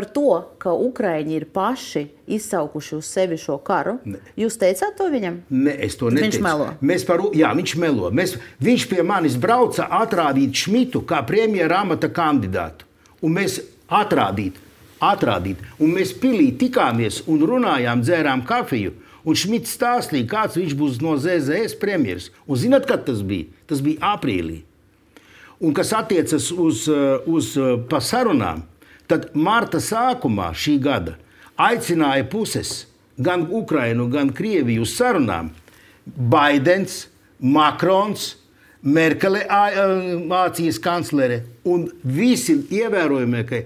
to, ka Ukraiņi ir paši izsaukuši uz sevi šo karu. Ne. Jūs teicāt to viņam? Ne, es to neteicu. Viņš melo? Viņš melo. Viņš pie manis brauca atrādīt Šmitu kā premjera amata kandidātu. Un mēs atrādīt. Un mēs pilī tikāmies un runājām, dzērām kafiju. Un Šmits stāstīja, kāds viņš būs no ZZS premjeras. Un zināt, kad tas bija? Tas bija aprīlī. Un kas attiecas uz pa sarunām, tad marta sākumā šī gada aicināja puses, gan Ukrainu, gan Krieviju uz sarunām. Baidens, Makrons, Merkele, Vācijas kanclere un visi ievērojamākie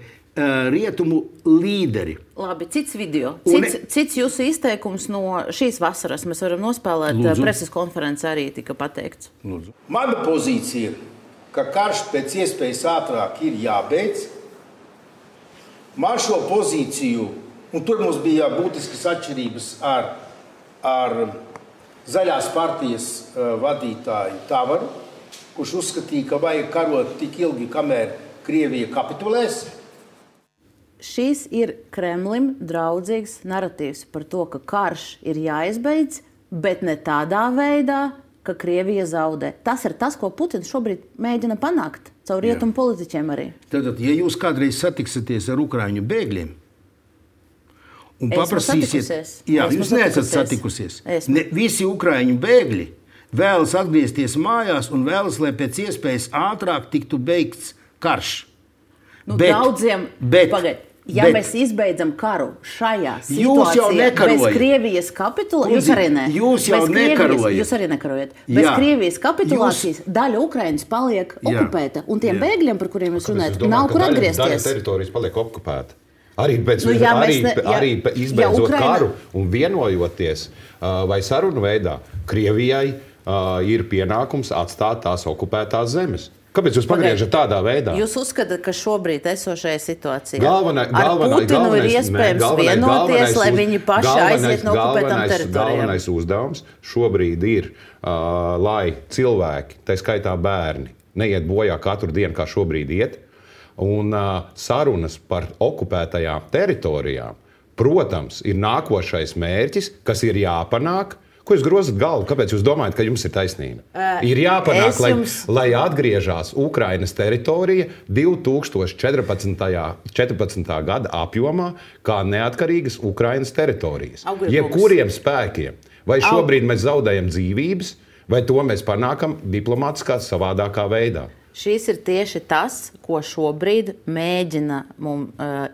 rietumu līderi. Labi, cits video. Cits jūsu izteikums no šīs vasaras. Mēs varam nospēlēt. Preses konferences arī tika pateikts. Lūdzu. Mana pozīcija, ka karš pēc iespējas ātrāk ir jābeidz. Man šo pozīciju, un tur mums bija būtiskas atšķirības ar Zaļās partijas vadītāju Tavaru, kurš uzskatīja, ka vajag karot tik ilgi, kamēr Krievija kapitulēs. Šīs ir Kremlim draudzīgs naratīvs par to, ka karš ir jāizbeidz, bet ne tādā veidā, ka Krievija zaudē. Tas ir tas, ko Putins šobrīd mēģina panākt caur rietumu politiķiem arī. Tātad, ja jūs kādreiz satiksieties ar ukraiņu bēgļiem un paprasīsiet... Jūs neesat satikusies. Visi ukraiņu bēgļi vēlas atgriezties mājās un vēlas, lai pēc iespējas ātrāk tiktu beigts karš. Daudziem... Ja mēs izbeidzam karu šajā situācijā bez Krievijas kapitulācijas, jūs arī ne. Jūs jau nekarojat. Jūs arī nekarojat. Bez Krievijas kapitulācijas daļa Ukrainas paliek okupēta. Un tiem bēgļiem, par kuriem jūs runājat, nav kur atgriezties. Daļa teritorijas paliek okupēta. Arī izbeidzot karu un vienojoties vai sarunu veidā, Krievijai ir pienākums atstāt tās okupētās zemes. Kāpēc jūs pagriežat tādā veidā? Jūs uzskatāt, ka šobrīd esošajā situācijā ar Putinu ir iespējams vienoties, lai viņi paši aiziet no okupētām teritorijām? Galvenais uzdevums šobrīd ir, lai cilvēki, tā skaitā bērni, neiet bojā katru dienu, kā šobrīd iet, un sarunas par okupētajām teritorijām, protams, ir nākošais mērķis, kas ir jāpanāk. Ko jūs grozat galvu? Kāpēc jūs domājat, ka jums ir taisnība? Ir jāpanāk, lai atgriežās Ukrainas teritorija 2014. Gada apjomā kā neatkarīgas Ukrainas teritorijas. Jebkuriem spēkiem. Vai šobrīd mēs zaudējam dzīvības, vai to mēs panākam diplomātiskā savādākā veidā? Šīs ir tieši tas, ko šobrīd mēģina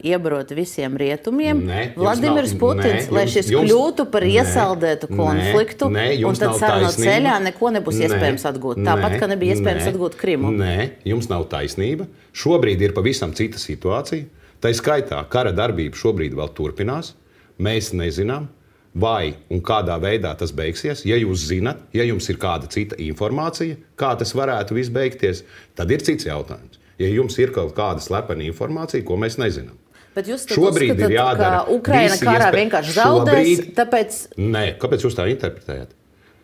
iebarot visiem rietumiem. Vladimirs Putins, lai šis kļūtu par iesaldētu konfliktu, un tad sarunu ceļā neko nebūs iespējams atgūt. Tāpat, ka nebija iespējams atgūt Krimu. Nē, jums nav taisnība. Šobrīd ir pavisam cita situācija. Tā skaitā kara darbība šobrīd vēl turpinās. Mēs nezinām, vai un kādā veidā tas beigsies. Ja jūs zinat, ja jums ir kāda cita informācija, kā tas varētu viss beigties, tad ir cits jautājums. Ja jums ir kaut kāda slepena informācija, ko mēs nezinām. Bet jūs šobrīd ir jādara, ka Ukraina karā vienkārši zaudēs, tāpēc... Nē, kāpēc jūs tā interpretējat?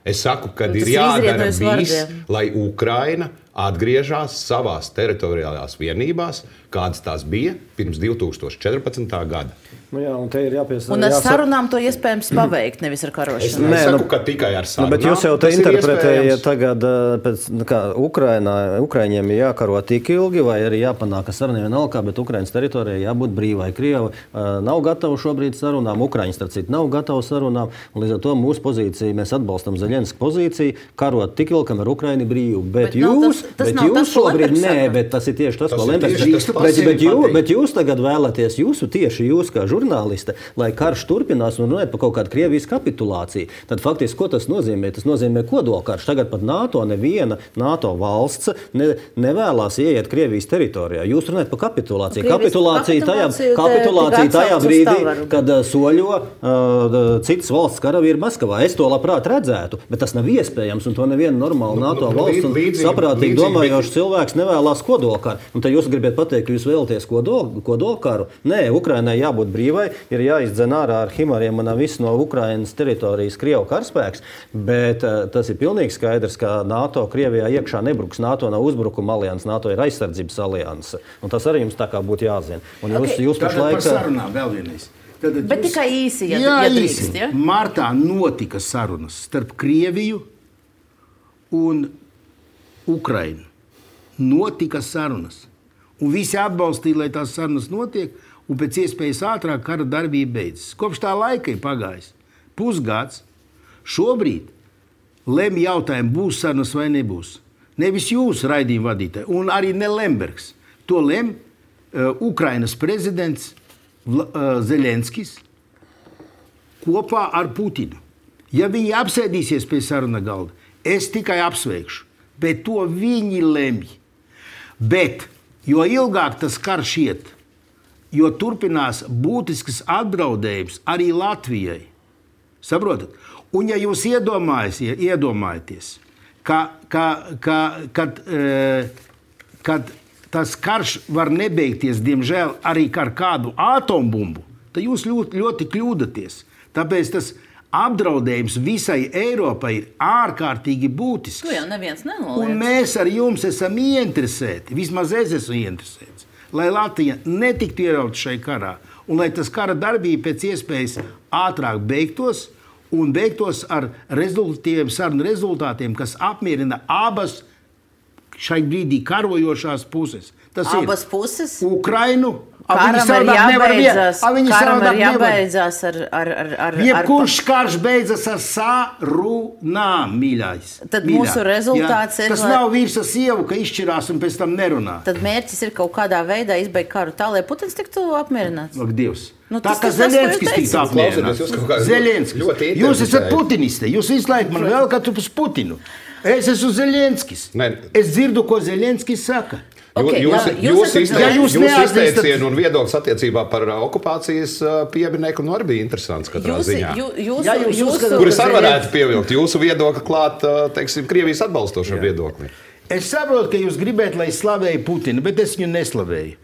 Es saku, ka ir jādara viss, lai Ukraina atgriežās savās teritoriālās vienībās, kādas tās bija pirms 2014. Gada. Un te ir un ar sarunām to iespējams paveikt, nevis ar karošanu. Es nesaku, ka tikai ar sarunām. Bet jūs jau te interpretējat tagad, kā Ukraiņiem ir jākaro tik ilgi, vai arī jāpanāk ar saruniem vienalga, bet Ukrainas teritorijai jābūt brīvai. Krieva nav gatava šobrīd sarunām, Ukraiņas starp citu nav gatava sarunām, un līdz ar to mūsu pozīcija, mēs atbalstam Zeļenska pozīciju, karot tik ilgi, kamēr Ukraina ir brīva. Bet jūs tas nav tas, ko Lembergs saka. Nē, bet tas ir tieši tas, ko Lembergs saka. Bet jūs tagad vēlaties, tieši jūs kā žurnāliste, lai karš turpinās un runājat par kaut kādu Krievijas kapitulāciju. Tad faktiski, ko tas nozīmē? Tas nozīmē kodolkarš. Tagad pat neviena NATO valsts nevēlās ieiet Krievijas teritorijā. Jūs runājat par kapitulāciju. Kapitulācija tajā brīdī, kad soļo citas valsts karavīri Maskavā. Es to labprāt redzētu, bet tas nav iespējams, un to neviena normāla NATO valsts un saprātīgi domājošs cilvēks nevēlās kodolkaru. Un tad jūs gribat pateikt, ka jūs vēlaties kodolkaru? Nē, Ukrainai jābūt brīvai, ir jāizdzen ārā ar himariem un viss no Ukrainas teritorijas Krievu karaspēks, bet tas ir pilnīgi skaidrs, ka NATO Krievijā iekšā nebruks. NATO nav uzbrukuma alianse, NATO ir aizsardzības alianse. Un tas arī jums tā kā būtu jāzina. Un jūs pašlaik... Par sarunām vēl vienreiz. Bet tikai īsi, ja drīkst, ja? Martā notika sarunas starp Krieviju un Ukrainu. Notika sarunas. Un visi atbalstīja, lai tās sarunas notiek, un pēc iespējas ātrāk kara darbība beidzas. Kopš tā laika ir pagājis pusgads. Šobrīd lemj jautājumu, būs sarunas vai nebūs. Nevis jūs, raidījuma vadītāji, un arī ne Lembergs. To lemj Ukrainas prezidents Zelenskis kopā ar Putinu. Ja viņi apsēdīsies pie saruna galda, es tikai apsveikšu, bet to viņi lemj. Bet, jo ilgāk tas karš iet, jo turpinās būtisks apdraudējums arī Latvijai. Saprotat? Un ja jūs iedomājaties, kad tas karš var nebeigties, diemžēl, arī ar kādu atombumbu, tad jūs ļoti kļūdaties. Tāpēc tas apdraudējums visai Eiropai ir ārkārtīgi būtisks. To jau neviens nenoliedz. Un mēs ar jums esam ieinteresēti, vismaz es esmu ieinteresēts, lai Latvija netiktu ierauta šai karā, un lai tas kara darbība pēc iespējas ātrāk beigtos, un beigtos ar sarunu rezultātiem, kas apmierina abas šai brīdī karojošās puses. Tas abas puses? Ukrainu. Karam ir jābeidzās ar... Jebkurš karš beidzas ar sarunām, mīļais. Tad mūsu rezultāts ir... Tas nav vīrs ar sievu, ka izšķirās un pēc tam nerunā. Tad mērķis ir kaut kādā veidā izbeigt karu tā, lai Putins tiktu apmierināts. Ak, Dievs. Tā kā Zelenskis tiktu apmierināts. Zelenskis. Jūs esat putiniste. Jūs visu laiku man vēl katru uz Putinu. Es esmu Zelenskis. Es dzirdu, ko Zelenskis saka. Okay, jūs izteicienu un viedoklis attiecībā par okupācijas pieminieku arī bija interesants katrā ziņā. Kuris arī varētu pievilkt jūsu viedokli klāt, teiksim, Krievijas atbalstošam viedoklim. Es saprotu, ka jūs gribētu, lai es slavēju Putinu, bet es viņu neslavēju.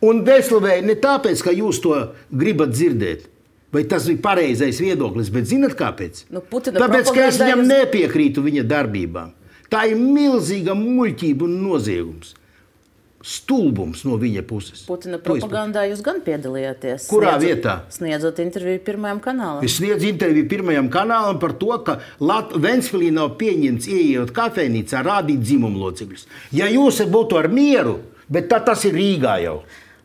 Un neslavēju ne tāpēc, ka jūs to gribat dzirdēt. Vai tas bija pareizais viedoklis, bet zinat kāpēc? Tāpēc, ka es viņam nepiekrītu viņa darbībām. Tā ir milzīga muļķība un noziegums. Stulbums no viņa puses. Putina propagandā jūs gan piedalījāties. Kurā vietā? Sniedzot interviju Pirmajam kanālam. Es sniedzu interviju Pirmajam kanālam par to, ka Ventspilī nav pieņemts ieejot kafejnīcā rādīt dzimumlocekļus. Ja jūs būtu ar mieru, bet tas ir Rīgā jau.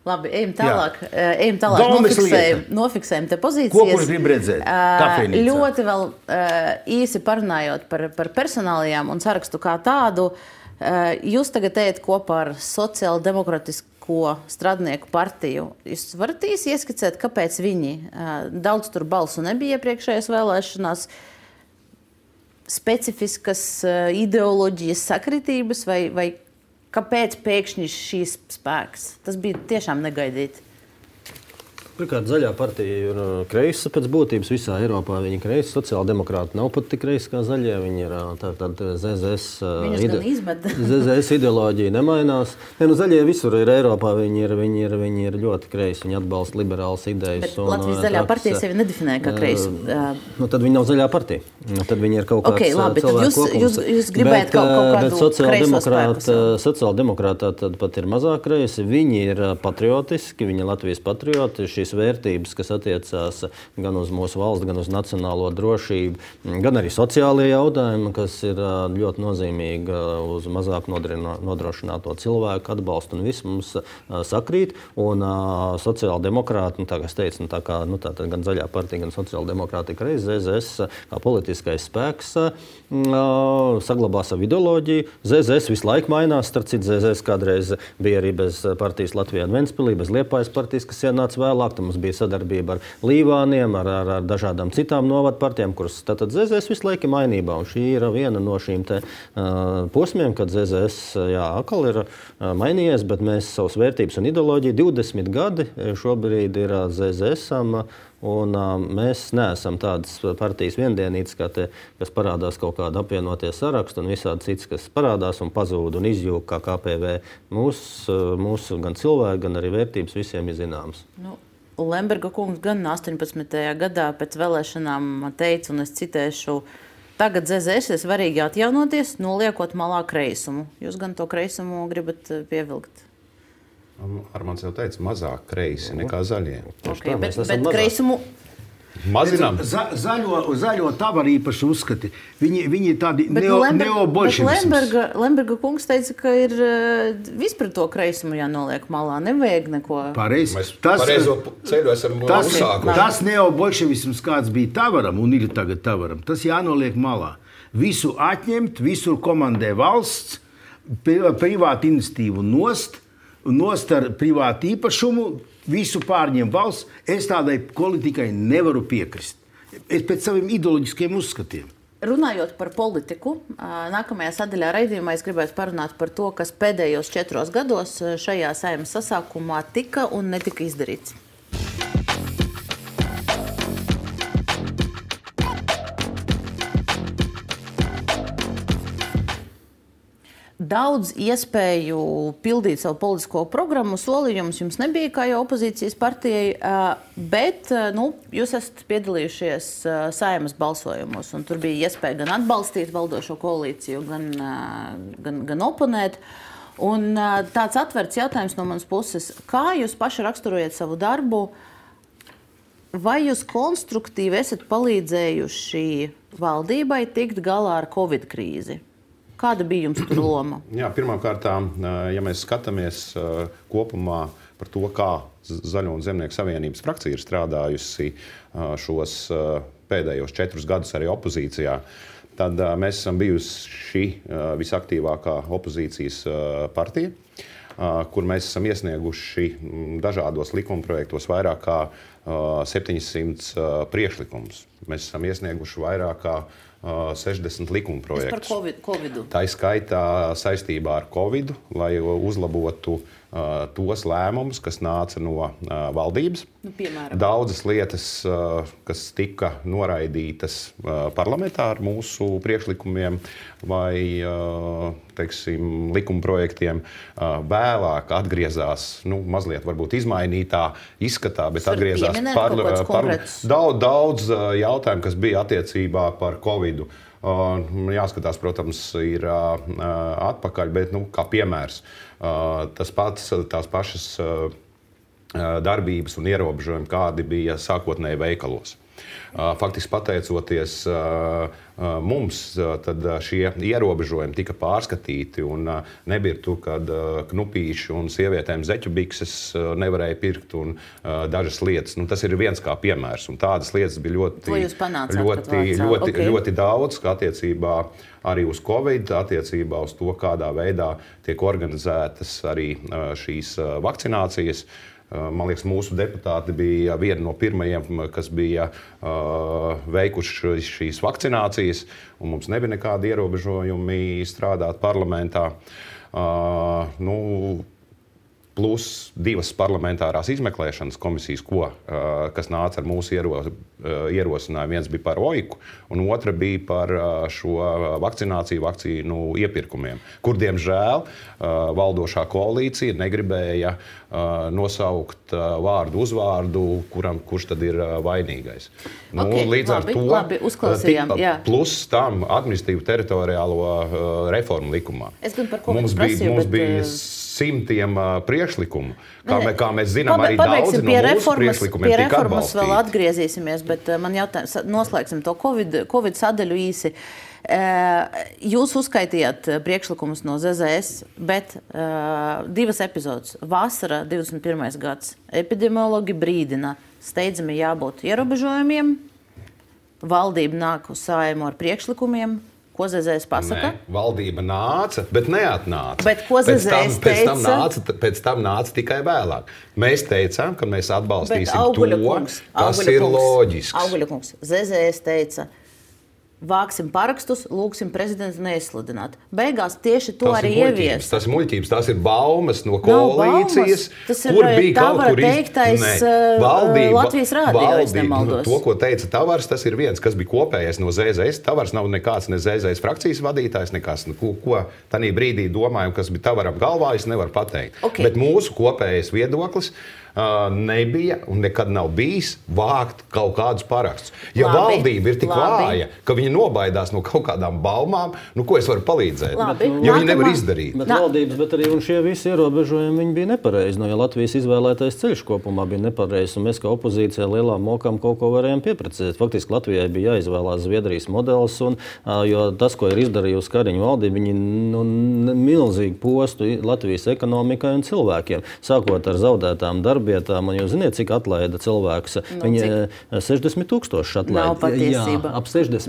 Labi, ejam tālāk. Nofiksējam te pozīcijas. Ko kurš grib redzēt? Kafejnīcā. Ļoti vēl īsi parunājot par personālijām un sarakstu kā tādu. Jūs tagad ejat kopā ar Sociāldemokratisko strādnieku partiju. Jūs varat īsi ieskicēt, kāpēc viņi daudz tur balsu nebija iepriekšējās vēlēšanās, specifiskas ideoloģijas sakritības vai kāpēc pēkšņi šīs spēks? Tas bija tiešām negaidīti. Pirmkārt, zaļā partija ir kreisa pēc būtības visā Eiropā. Viņi ir kreisi, sociāldemokrāti nav pat tik kreisi kā zaļie. Viņi ir tāda ZZS ideoloģija nemainās. Zaļie visur ir Eiropā, viņi ir ļoti kreisi. Viņi atbalsta liberālas idejas. Bet Latvijas zaļā partija sevi nedefinē kā kreisi. Tad viņi nav zaļā partija. Tad viņi ir kaut kāds cilvēku kopums. Jūs gribētu kaut kādu kreiso spēku. Sociāldemokrātā tad pat ir mazāk kreisi. Viņi ir patriotiski, viņi ir Latvijas patrioti. šīs vērtības, kas attiecās gan uz mūsu valsts, gan uz nacionālo drošību, gan arī sociālie jautājumi, kas ir ļoti nozīmīgi uz mazāk nodrošināto cilvēku atbalstu, un viss mums sakrīt. Un sociāldemokrāti, tā kā es teicu, tā gan Zaļā partija, gan sociāldemokrātika reiz ZZS kā politiskais spēks saglabā savu ideoloģiju. ZZS visu laiku mainās, starp citu ZZS kādreiz bija arī bez partijas Latvijā un Ventspilī, bez Liepājas partijas, kas ienāca vēlāk. Tad mums bija sadarbība ar Līvāniem, ar dažādām citām novadu partijām, kuras tātad ZZS visu laiku ir mainībā. Un šī ir viena no šīm te posmiem, kad ZZS atkal ir mainījies, bet mēs savas vērtības un ideoloģiju 20 gadi šobrīd ir ZZS-am. Un mēs neesam tādas partijas viendienītas, kas parādās kaut kāda apvienotie sarakstu un visādi cits, kas parādās un pazūd un izjūg kā KPV. Mūsu gan cilvēki, gan arī vērtības visiem ir zināmas. Lemberga kungs gan 18. gadā pēc vēlēšanām teica, un es citēšu, tagad ZZS ir svarīgi atjaunoties, noliekot malā kreisumu. Jūs gan to kreisumu gribat pievilkt? Armāns jau teica, mazāk kreisi nekā zaļie. Okay, bet kreisumu mazinām. Zaļo tavu arī īpaši uzskati. Viņi tādi neobolševisms. Lemberga kungs teica, ka ir vispār to kreisumu jānoliek malā. Nevajag neko. Pareizi. Mēs pareizo ceļu esam uzsākuši. Tas neobolševisms, kāds bija Tavaram un ir tagad Tavaram, tas jānoliek malā. Visu atņemt, visur komandē valsts, privātu iniciatīvu nost ar privātu īpašumu, visu pārņem valsts. Es tādai politikai nevaru piekrist. Es pēc saviem ideoloģiskiem uzskatiem. Runājot par politiku, nākamajā sadaļā raidījumā es gribētu parunāt par to, kas pēdējos 4 gados šajā Saeimas sasaukumā tika un netika izdarīts. Daudz iespēju pildīt savu politisko programmu, solījumus jums nebija kā jau opozīcijas partijai, bet jūs esat piedalījušies Saeimas balsojumos, un tur bija iespēja gan atbalstīt valdošo koalīciju, gan oponēt. Un tāds atverts jautājums no manas puses, kā jūs paši raksturojat savu darbu, vai jūs konstruktīvi esat palīdzējuši valdībai tikt galā ar Covid krīzi? Kāda bija jums tur loma? Jā, pirmkārt, ja mēs skatāmies kopumā par to, kā Zaļo un Zemnieku savienības frakcija ir strādājusi šos pēdējos 4 gadus arī opozīcijā, tad mēs esam bijusi visaktīvākā opozīcijas partija, kur mēs esam iesnieguši dažādos likumprojektos vairāk kā 700 priekšlikumus. Mēs esam iesnieguši vairāk kā 60 likumprojektus. Par Covidu. Tā ir skaitā saistībā ar Covidu, lai uzlabotu tos lēmumus, kas nāca no valdības. Piemēram. Daudzas lietas, kas tika noraidītas parlamentā ar mūsu priekšlikumiem vai likumprojektiem, vēlāk atgriezās, mazliet varbūt izmainītā izskatā, bet atgriezās daudz jautājumu, kas bija attiecībā par Covidu. Jāskatās, protams, ir atpakaļ, bet kā piemērs, tās pašas darbības un ierobežojumi, kādi bija sākotnēji veikalos. Faktiski pateicoties mums, tad šie ierobežojumi tika pārskatīti un nebija tur, kad knupīši un sievietēm zeķu bikses nevarēja pirkt un dažas lietas. Tas ir viens kā piemērs. Un tādas lietas bija ļoti daudz, kā attiecībā arī uz Covid, attiecībā uz to, kādā veidā tiek organizētas arī šīs vakcinācijas. Man liekas, mūsu deputāti bija viena no pirmajiem, kas bija veikuši šīs vakcinācijas, un mums nebija nekādi ierobežojumi strādāt parlamentā. Plus 2 parlamentārās izmeklēšanas komisijas, kas nāca ar mūsu ierosinājumu. Viens bija par OIKU, un otra bija par šo vakcīnu iepirkumiem, kur, diemžēl, valdošā koalīcija negribēja nosaukt vārdu uzvārdu, kurš tad ir vainīgais. Līdz ar to uzklausījām. Plus tam administratīvu teritoriālo reformu likumā. Es gan par Covid prasīju, mums bija simtiem priekšlikumu. Kā mēs zinām, arī daudzi no mūsu priekšlikumiem tika atbalstīti. Vēl atgriezīsimies, bet man jautājums, noslēgsim to Covid sadaļu īsi. Jūs uzskaitījāt priekšlikumus no ZZS, bet 2 epizodes. Vasara 21. gads. Epidemiologi brīdina, steidzami jābūt ierobežojumiem. Valdība nāk uz Saeimu ar priekšlikumiem. Ko ZZS pasaka? Nē, valdība nāca, bet neatnāca. Bet ko ZZS teica? Pēc tam nāca tikai vēlāk. Mēs teicām, ka mēs atbalstīsim kas ir loģisks. Auguļakungs, ZZS teica, vāksim parakstus, lūksim prezidentu neizsludināt. Beigās tieši to arī ievies. Tas ir muļķības, tas ir baumas no koalīcijas. Tas ir Tavara teiktais Latvijas rādio, es nemaldos. To, ko teica Tavars, tas ir viens, kas bija kopējais no ZZS. Tavars nav nekāds ne ZZS frakcijas vadītājs, nekāds, ko tanī brīdī domājam, kas bija Tavaram galvā, es nevaru pateikt. Okay. Bet mūsu kopējais viedoklis nebija un nekad nav bijis vākt kaut kādus parakstus. Ja valdība ir tik vāja, ka viņi nobaidās no kaut kādām baumām, ko es varu palīdzēt? Ja viņi nevar izdarīt. Bet valdības, bet arī šie visi ierobežojumi viņi bija nepareizi. Ja Latvijas izvēlētais ceļš kopumā bija nepareizs, un mēs kā opozīcijā lielām mokām kaut ko varējām pieprecēt. Faktiski Latvijai bija jāizvēlās Zviedrijas modelis, jo tas, ko ir izdarījusi Kariņu valdība, viņi milzīgi postu Latvijas ekonomikai un cilvēkiem, sākot ar zaudētām darbietām, un jūs ziniet, cik atlaida cilvēkus. Viņi 60 000 atlaida. Nav patiesība. Jā, ap 60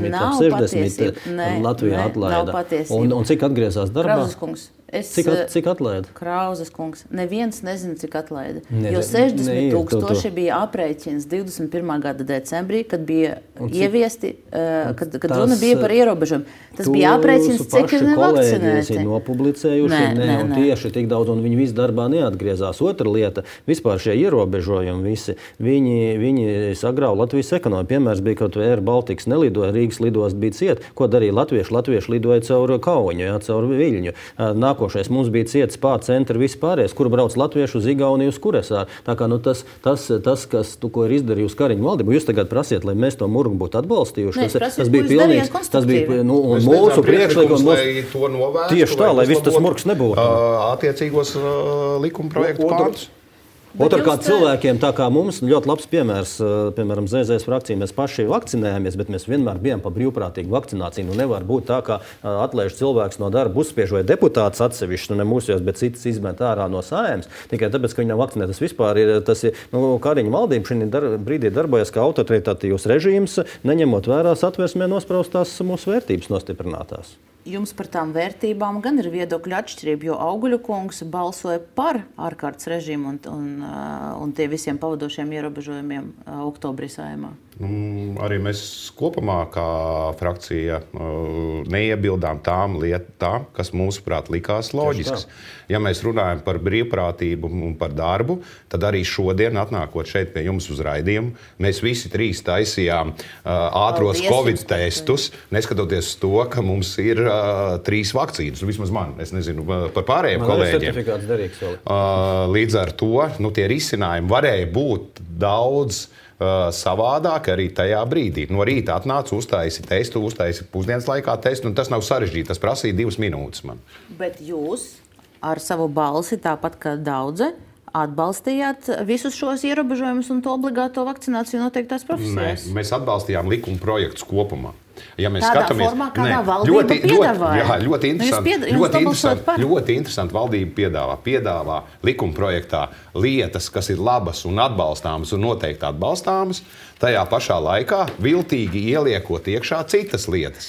Latvijā atlaida. Un cik atgriezās darbā? Krauzes kungs. Cik atlaida? Krauzes kungs. Neviens nezina, cik atlaida. Jo 60 000 bija aprēķins 21. gada decembrī, kad bija ieviesti, kad runa bija par ierobežojumu. Tas bija aprēķins, cik ir nevakcinēti. Ir nopublicējuši, un tieši tik daudz, un viņi visu darbā neatgriezās. Otra lieta, vispār šie ierobežojumi visi, viņi sagrauj Latvijas ekonomiku. Piemērs bija, ka Air Baltics nelidoja, Rīgas lidost bija ciet. Ko darīja latvieši? Latvieši lidoja caur Kauņu, caur Viļņu. Nākošais mums bija ciets centri vispārējais, kur brauc latviešu uz Igauniju uz Kuresāru. Tā kā tas ko ir izdarījusi Kariņu valdība, jūs tagad prasiet, lai mēs to murgu būtu atbalstījuši. Tas bija pilnīgs, tas bija mūsu priekšlikums. Tieši tā, lai viss tas murgs nebūtu. Attiecīgos likumprojektu pāns. Otrkārt, cilvēkiem, tā kā mums, ļoti labs piemērs, piemēram, ZZS frakcija, mēs paši vakcinējāmies, bet mēs vienmēr bijām par brīvprātīgu vakcināciju. Nevar būt tā, ka atlaiž cilvēks no darba, uzspiež vai deputāts atsevišķi, ne mūsējos, bet citas izmet ārā no Saeimas, tikai tāpēc, ka viņi nav vakcinēti. Tas vispār ir, Kariņu valdība šī brīdī darbojas kā autoritatīvs režīms, neņemot vērā Satversmē nospraustās mūsu vērtības nostiprinātās. Jums par tām vērtībām gan ir viedokļu atšķirība, jo Auguļakungs balsoja par ārkārtas režīmu un tie visiem pavadošiem ierobežojumiem oktobrī Saeimā. Arī mēs kopumā kā frakcija neiebildām tām lietām, kas mūsuprāt likās loģisks. Ja mēs runājam par brīvprātību un par darbu, tad arī šodien, atnākot šeit pie jums uz raidījumu, mēs visi 3 taisījām ātros Covid testus, neskatoties uz to, ka mums ir 3 vakcīnas. Vismaz man, es nezinu par pārējiem kolēģiem. Līdz ar to tie risinājumi varēja būt daudz savādāk arī tajā brīdī. No rīta atnāca, uztaisi testu, uztaisi pusdienas laikā testu, un tas nav sarežģīti. Tas prasīja 2 minūtes man. Bet jūs ar savu balsi, tāpat kā daudzi, atbalstījāt visus šos ierobežojumus un to obligāto vakcināciju noteiktās profesijās? Mēs atbalstījām likuma projektus kopumā. Ja mēs tādā skatāmies, formā, kādā valdība piedāvāja. Ļoti interesanti valdība piedāvā likuma projektā lietas, kas ir labas un atbalstāmas un noteikti atbalstāmas, tajā pašā laikā viltīgi ieliekot iekšā citas lietas.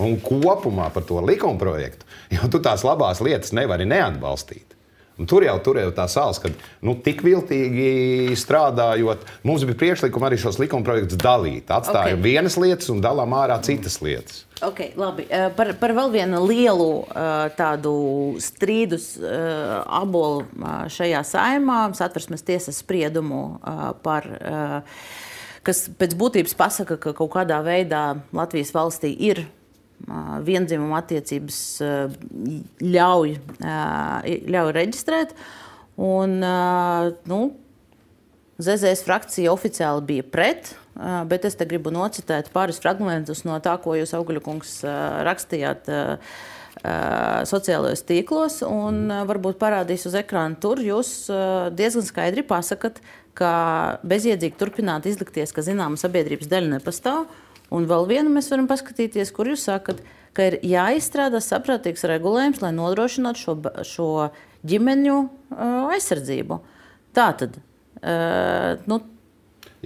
Un kopumā par to likuma projektu, jo tu tās labās lietas nevari neatbalstīt. Un tur jau tā sāls, ka tik viltīgi strādājot, mums bija priekšlikumi arī šos likuma projektus dalīt. Atstājam vienas lietas un dalām ārā citas lietas. Ok, labi. Par vēl vienu lielu tādu strīdus abolu šajā Saeimā, Satversmes tiesas spriedumu par, kas pēc būtības pasaka, ka kaut kādā veidā Latvijas valstī ir viendzimuma attiecības ļauj reģistrēt. Un, ZZS frakcija oficiāli bija pret, bet es te gribu nocitēt pāris fragmentus no tā, ko jūs, Auguļakungs, rakstījāt sociālajos tīklos un varbūt parādīs uz ekrāna tur. Jūs diezgan skaidri pasakat, ka bezjēdzīgi turpināt izlikties, ka zināma sabiedrības daļa nepastāv. Un vēl vienu mēs varam paskatīties, kur jūs sakat, ka ir jāizstrādā saprātīgs regulējums, lai nodrošinātu šo ģimeņu aizsardzību. Tātad,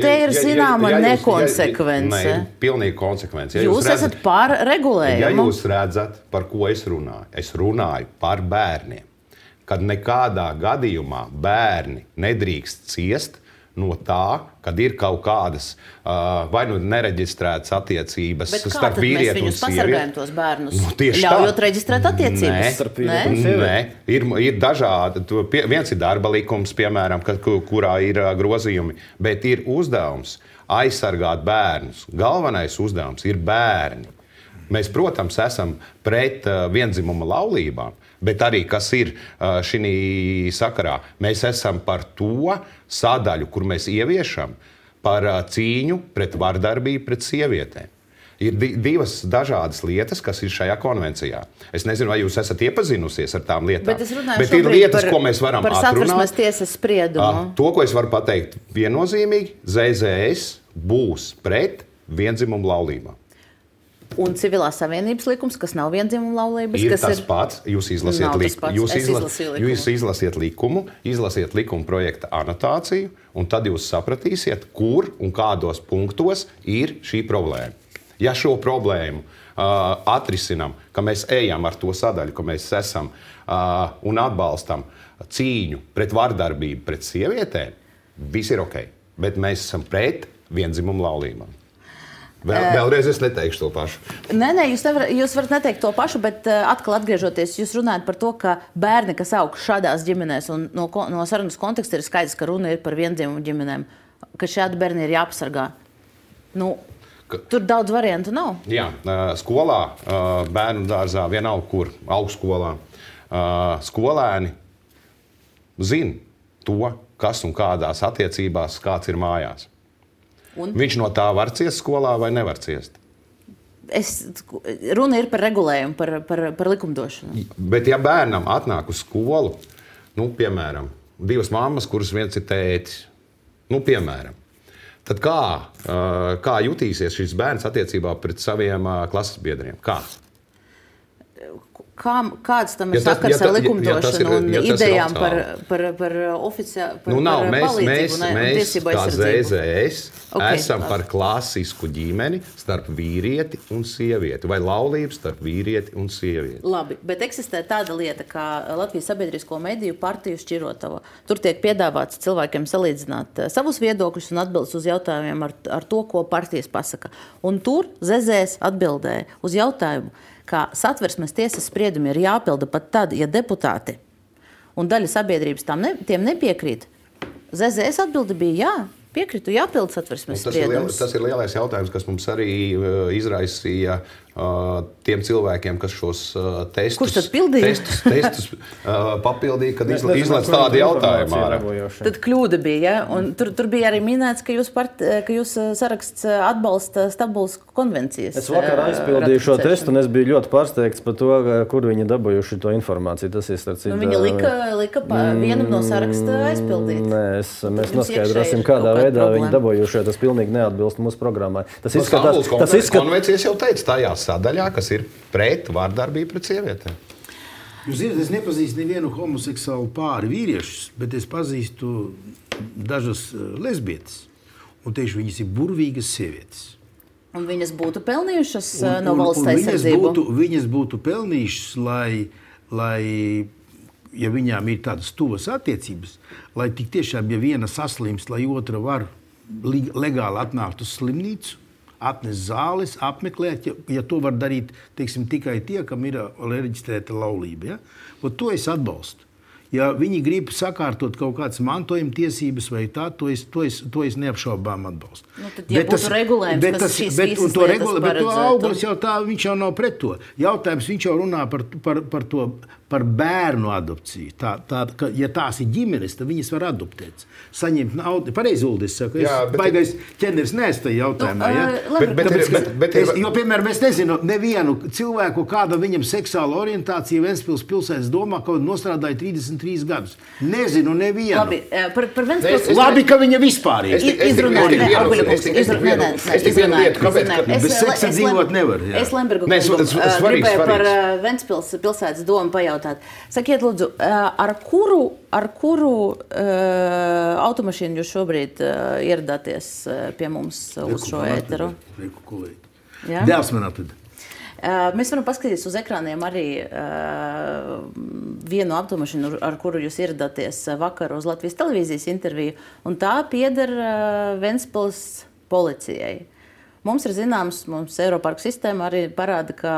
te ir zināma nekonsekvence. Nē, pilnīgi konsekvence. Jūs esat par regulējumu. Ja jūs redzat, par ko es runāju par bērniem, kad nekādā gadījumā bērni nedrīkst ciest no tā, kad ir kaut kādas vai nu nereģistrētas attiecības starp vīrieti un sievieti. Bet kā tad mēs viņus pasargājam tos bērnus? Ļaujot reģistrēt attiecības? Nē, ir dažādi. Viens ir darba likums, piemēram, kurā ir grozījumi, bet ir uzdevums aizsargāt bērnus. Galvenais uzdevums ir bērni. Mēs, protams, esam pret vienzimuma laulībām, bet arī, kas ir šī sakarā, mēs esam par to sadaļu, kur mēs ieviešam par cīņu pret vardarbību pret sievietēm. Ir divas dažādas lietas, kas ir šajā konvencijā. Es nezinu, vai jūs esat iepazinusies ar tām lietām. Bet ir lietas, ko mēs varam atrunāt. Par Satversmes tiesas spriedumu. To, ko es varu pateikt viennozīmīgi, ZZS būs pret viendzimumu laulībām. Un civilās savienības likums, kas nav vienzimuma laulības, ir tas pats. Jūs izlasiet likumu, izlasiet likuma projekta anotāciju, un tad jūs sapratīsiet, kur un kādos punktos ir šī problēma. Ja šo problēmu atrisinam, ka mēs ejam ar to sadaļu, ka mēs esam un atbalstam cīņu pret vardarbību pret sievietēm, viss ir ok. Bet mēs esam pret viendzimumu laulībām. Vēlreiz es neteikšu to pašu. Nē, jūs varat neteikt to pašu, bet atkal atgriežoties, jūs runājat par to, ka bērni, kas aug šādās ģimenēs, un no sarunas konteksta ir skaidrs, ka runa ir par viendzimumu ģimenēm, ka šādi bērni ir jāpasargā. Tur daudz variantu nav. Jā, skolā, bērnu dārzā, vienalga kur, augstskolā, skolēni zina to, kas un kādās attiecībās kāds ir mājās. Viņš no tā var ciest skolā vai nevar ciest? Runa ir par regulējumu, par likumdošanu. Bet ja bērnam atnāk uz skolu, piemēram, divas mammas, kuras viens ir tētis, piemēram, tad kā jutīsies šis bērns attiecībā pret saviem klases biedriem? Kā? Kāds tam ir sakars ar likumdošanu un idejām par palīdzību un tiesību aizsardzību? Mēs, kā ZZS, esam par klasisku ģimeni starp vīrieti un sievieti, vai laulību starp vīrieti un sievieti. Labi, bet eksistē tāda lieta, kā Latvijas sabiedrisko mediju partiju šķirotava. Tur tiek piedāvāts cilvēkiem salīdzināt savus viedokļus un atbildes uz jautājumiem ar to, ko partijas pasaka. Un tur ZZS atbildēja uz jautājumu, ka Satversmes tiesas spriedumi ir jāpilda pat tad, ja deputāti un daļa sabiedrības tiem nepiekrīt. ZZS atbilde bija jā, piekritu jāpilda Satversmes spriedumus. Tas ir lielais jautājums, kas mums arī izraisīja tiem cilvēkiem, kas šos testus papildīja, kad izlaiž tādu jautājumu ārā. Tad kļūda bija, ja? Un tur bija arī minēts, ka jūs saraksts atbalsta Stambulas konvencijas. Es vakar aizpildīju šo testu, un es biju ļoti pārsteigts par to, kur viņi dabūjuši to informāciju. Tas ir starp citu. Viņi lika vienu no saraksta aizpildīt. Nē, mēs noskaidrosim, kādā veidā viņi dabūjuši, jo tas pilnīgi neatbilst mūsu programmai. Stambulas konvencijas jau teica tajā sadaļā, kas ir pret vardarbību pret sievietēm. Jūs zināt, es nepazīstu nevienu homoseksuālu pāri vīriešus, bet es pazīstu dažas lesbietes. Un tieši viņas ir burvīgas sievietes. Un viņas būtu pelnījušas no valsts aizsardzību? Viņas būtu pelnījušas, lai, ja viņām ir tādas tuvas attiecības, lai tik tiešām, ja viena saslimst, lai otra var legāli atnākt uz slimnīcu, atnes zāles, apmeklēt, ja to var darīt, teiksim, tikai tie, kam ir reģistrēta laulība. Ja? To es atbalstu. Ja viņi grib sakārtot kaut kādas mantojuma tiesības vai tā, to es neapšaubām atbalstu. Tad, ja būtu regulējums, kas šīs visas lietas paredzētu. Bet Augurs jau tā, viņš jau nav pret to. Jautājums, viņš jau runā par to par bērnu adopciju. Ja tās ir ģimenes, tad viņas var adoptēt. Saņemt naudu. Pareizi, Uldis saka, es baigais ķeneris neesmu tajā jautājumā. Jo, piemēram, es nezinu nevienu cilvēku, kāda viņam seksuāla orientācija Ventspils pilsētas domā, ka nostrādāja 33 gadus. Nezinu nevienu. Labi, par Ventspils... Labi, ka viņa vispār ir. Es tik vienu lietu, kāpēc? Bez seksa dzīvot nevar. Es Lembergu gribēju par Ventspils pilsētas domu pajautāt. Sakiet, lūdzu, ar kuru automašīnu jūs šobrīd ieradāties pie mums uz šo ēteru? Dēls man atveda. Mēs varam paskatīties uz ekrāniem arī vienu automašīnu, ar kuru jūs ieradāties vakar uz Latvijas televīzijas interviju, un tā pieder Ventspils policijai. Mums ir zināms, mums Eiroparku sistēma arī parāda, ka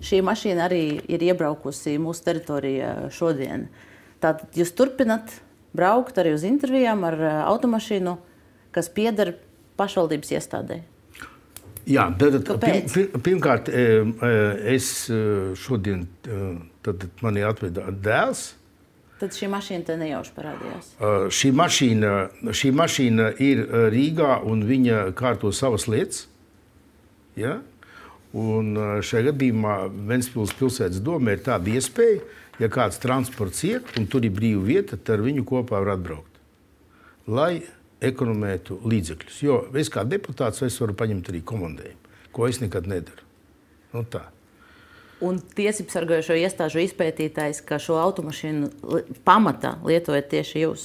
šī mašīna arī ir iebraukusi mūsu teritorijā šodien. Tātad jūs turpinat braukt arī uz intervijām ar automašīnu, kas pieder pašvaldības iestādē. Jā, pirmkārt, es šodien, tad mani atveda dēls. Tad šī mašīna te nejauši parādījās? Šī mašīna ir Rīgā un viņa kārto savas lietas. Ja? Un šajā gadījumā Ventspils pilsētas domē ir tāda iespēja, ja kāds transports iet un tur ir brīva vieta, tad ar viņu kopā var atbraukt. Lai ekonomētu līdzekļus. Jo es kā deputāts es varu paņemt arī komandējumu, ko es nekad nedaru. Nu tā. Un tiesību sargājošo iestāžu izpētītājs, ka šo automašīnu pamatā lietojat tieši jūs?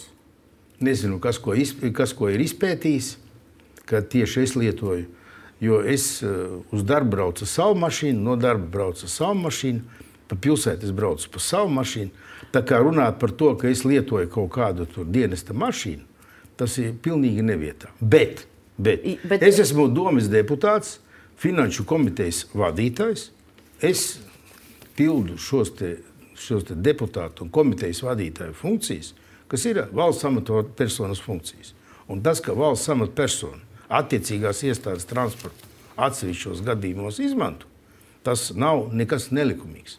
Nezinu, kas ko ir izpētījis, ka tieši es lietoju. Jo es uz darbu braucu savu mašīnu, no darba braucu savu mašīnu, pa pilsētu es braucu pa savu mašīnu. Tā kā runāt par to, ka es lietoju kaut kādu tur dienesta mašīnu, tas ir pilnīgi nevietā. Bet es esmu domes deputāts, finanšu komitejas vadītājs. Es pildu šos te deputātu un komitejas vadītāju funkcijas, kas ir valsts amatpersonas funkcijas. Un tas, ka valsts amatpersona attiecīgās iestādes transportu atsevišķos gadījumos izmanto, tas nav nekas nelikumīgs.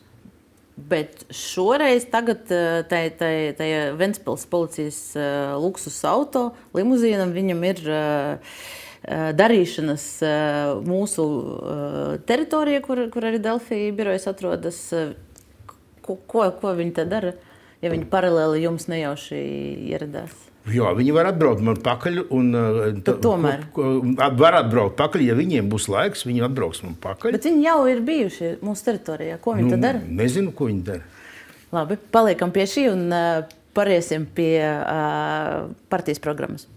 Bet šoreiz tagad tajā Ventspils policijas luksus auto limuzīnam viņam ir darīšanas mūsu teritorijā, kur arī Delfī birojas atrodas. Ko viņi te dara, ja viņi paralēli jums nejauši ieradās? Jā, viņi var atbraukt man pakaļ. Tomēr. Var atbraukt pakaļ, ja viņiem būs laiks, viņi atbrauks man pakaļ. Bet viņi jau ir bijuši mūsu teritorijā. Ko viņi tad dara? Nezinu, ko viņi dara. Labi, paliekam pie šī un pāriesim pie partijas programmas.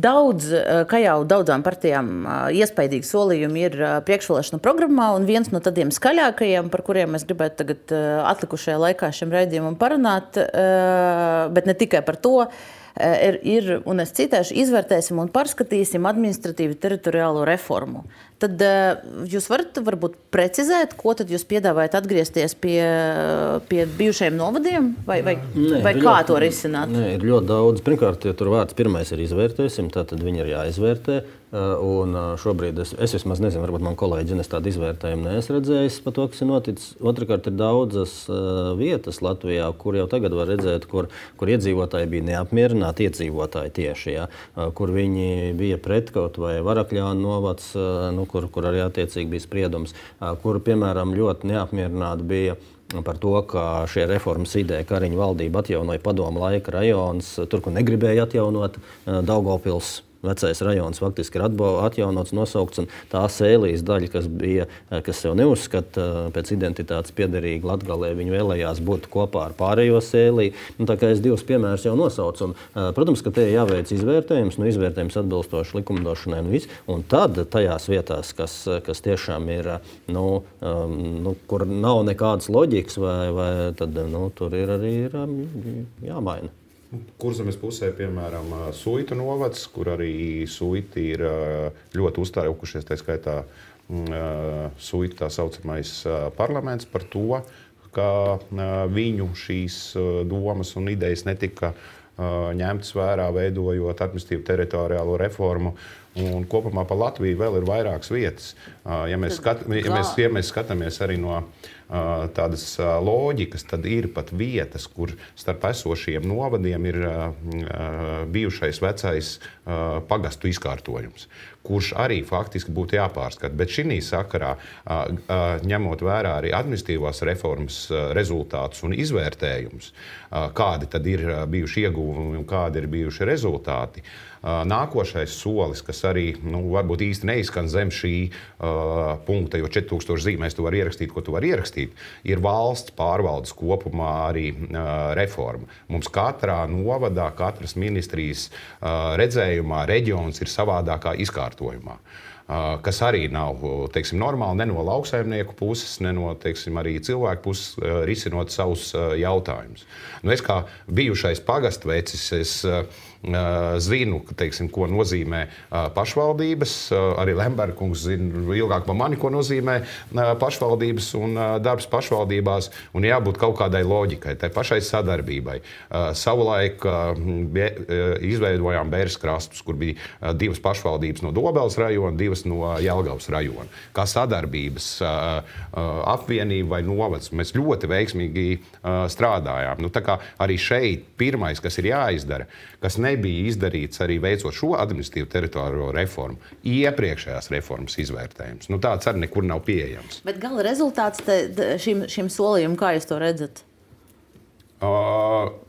Kā jau daudzām partijām iespaidīgi solījumi ir priekšvēlēšanu programmā, un viens no tādiem skaļākajiem, par kuriem mēs gribētu tagad atlikušajā laikā šim raidījumam parunāt, bet ne tikai par to, ir, un es citēšu, izvērtēsim un pārskatīsim administratīvi teritoriālo reformu. Tad jūs varat varbūt precizēt, ko tad jūs piedāvājat atgriezties pie bijušajiem novadiem? Vai kā to risināt? Nē, ir ļoti daudz. Pirmkārt, ja tur vārds pirmais ir izvērtēsim, tad viņi ir jāizvērtē. Un šobrīd es vismaz nezinu, varbūt man kolēģi es tādu izvērtējumu neesmu redzējis par to, kas ir noticis. Otrakārt, ir daudzas vietas Latvijā, kur jau tagad var redzēt, kur iedzīvotāji bija neapmierināti, iedzīvotāji tieši, ja, kur viņi bija pret kaut vai Varakļānu novads, kur arī attiecīgi bija spriedums, kur, piemēram, ļoti neapmierināti bija par to, ka šie reformas ideja Kariņa valdība atjaunoja padomu laika rajons, tur, kur negribēja atjaunot Daugavpils. Vecais rajons faktiski ir atjaunots, nosaukts, un tā Sēlijas daļa, kas sev neuzskata pēc identitātes piederīgi Latgalē, viņi vēlējās būt kopā ar pārējo Sēliju. Tā kā es divus piemērus jau nosaucu. Un, protams, ka te jāveic izvērtējums, izvērtējums atbilstoši likumdošanai un viss. Un tad tajās vietās, kas tiešām ir, kur nav nekādas loģikas, vai tad, tur ir arī jāmaina. Kurzemes pusē, piemēram, Suitu novads, kur arī Suiti ir ļoti uztraukušies, tā skaitā Suitu tā saucamais parlaments par to, ka viņu šīs domas un idejas netika ņemtas vērā, veidojot administratīvu teritoriālo reformu. Un kopumā pa Latviju vēl ir vairākas vietas. Ja mēs skatāmies arī no tādas loģikas, tad ir pat vietas, kur starp esošiem novadiem ir bijušais vecais pagastu izkārtojums, kurš arī faktiski būtu jāpārskata. Bet šī sakarā, ņemot vērā arī administratīvās reformas rezultātus un izvērtējumus, kādi tad ir bijuši ieguvumi un kādi ir bijuši rezultāti, nākošais solis, kas arī varbūt īsti neizskan zem šī punkta, jo 4000 zīmēs tu vari ierakstīt, ko tu vari ierakstīt, ir valsts pārvaldes kopumā arī reforma. Mums katrā novadā, katras ministrijas redzējumā reģions ir savādākā izkārtojumā. Kas arī nav normāli ne no lauksaimnieku puses, ne no arī cilvēku puses risinot savus jautājumus. Es kā bijušais pagastvecis, es zinu, ko nozīmē pašvaldības. Arī Lemberkungs zina ilgāk par mani, ko nozīmē pašvaldības un darbs pašvaldībās. Un jābūt kaut kādai loģikai, tai pašai sadarbībai. Savulaik izveidojām Bēres krastus, kur bija 2 pašvaldības no Dobeles rajona, 2 no Jelgavas rajona. Kā sadarbības apvienība vai novads. Mēs ļoti veiksmīgi strādājām. Tā kā arī šeit pirmais, kas ir jāizdara, kas nebija izdarīts arī veicot šo administratīvu teritoriālo reformu, iepriekšējās reformas izvērtējums. Tāds arī nekur nav pieejams. Bet gala rezultāts šim solījumam, kā jūs to redzat?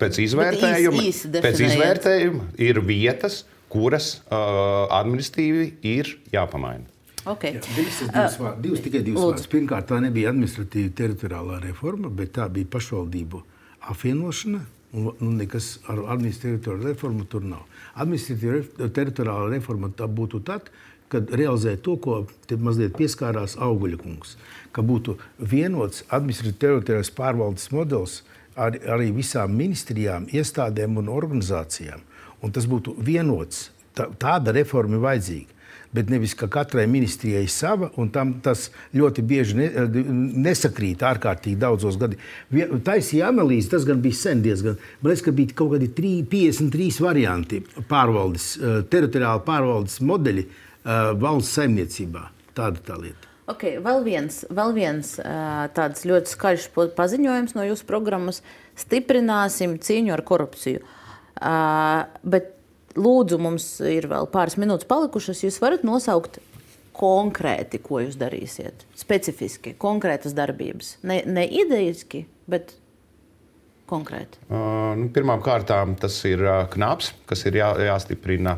Pēc izvērtējuma ir vietas, kuras administratīvi ir jāpamaina. Okay. Tikai divas vārdas. Pirmkārt, tā nebija administratīva teritoriālā reforma, bet tā bija pašvaldību apvienošana. Un nekas ar administratīvu reformu tur nav. Administratīva teritoriāla reforma tā būtu tad, kad realizē to, ko te mazliet pieskārās Auguļa kungs, ka būtu vienots administratīvas pārvaldes modelis arī visām ministrijām, iestādēm un organizācijām. Un tas būtu vienots. Tāda reforma ir vajadzīga. Bet nevis, ka katrai ministrijai sava, un tam tas ļoti bieži nesakrīt ārkārtīgi daudzos gadi. Taisīja analīzi, tas gan bija sen diezgan. Man liekas, ka bija kaut kādi 53 varianti pārvaldes, teritoriāla pārvaldes modeļi valsts saimniecībā. Tāda tā lieta. Okay, vēl viens tāds ļoti skaļš paziņojums no jūsu programmas. Stiprināsim cīņu ar korupciju. Bet lūdzu, mums ir vēl pāris minūtes palikušas. Jūs varat nosaukt konkrēti, ko jūs darīsiet? Specifiski, konkrētas darbības. Ne ideiski, bet konkrēti. Pirmām kārtām tas ir knaps, kas ir jāstiprina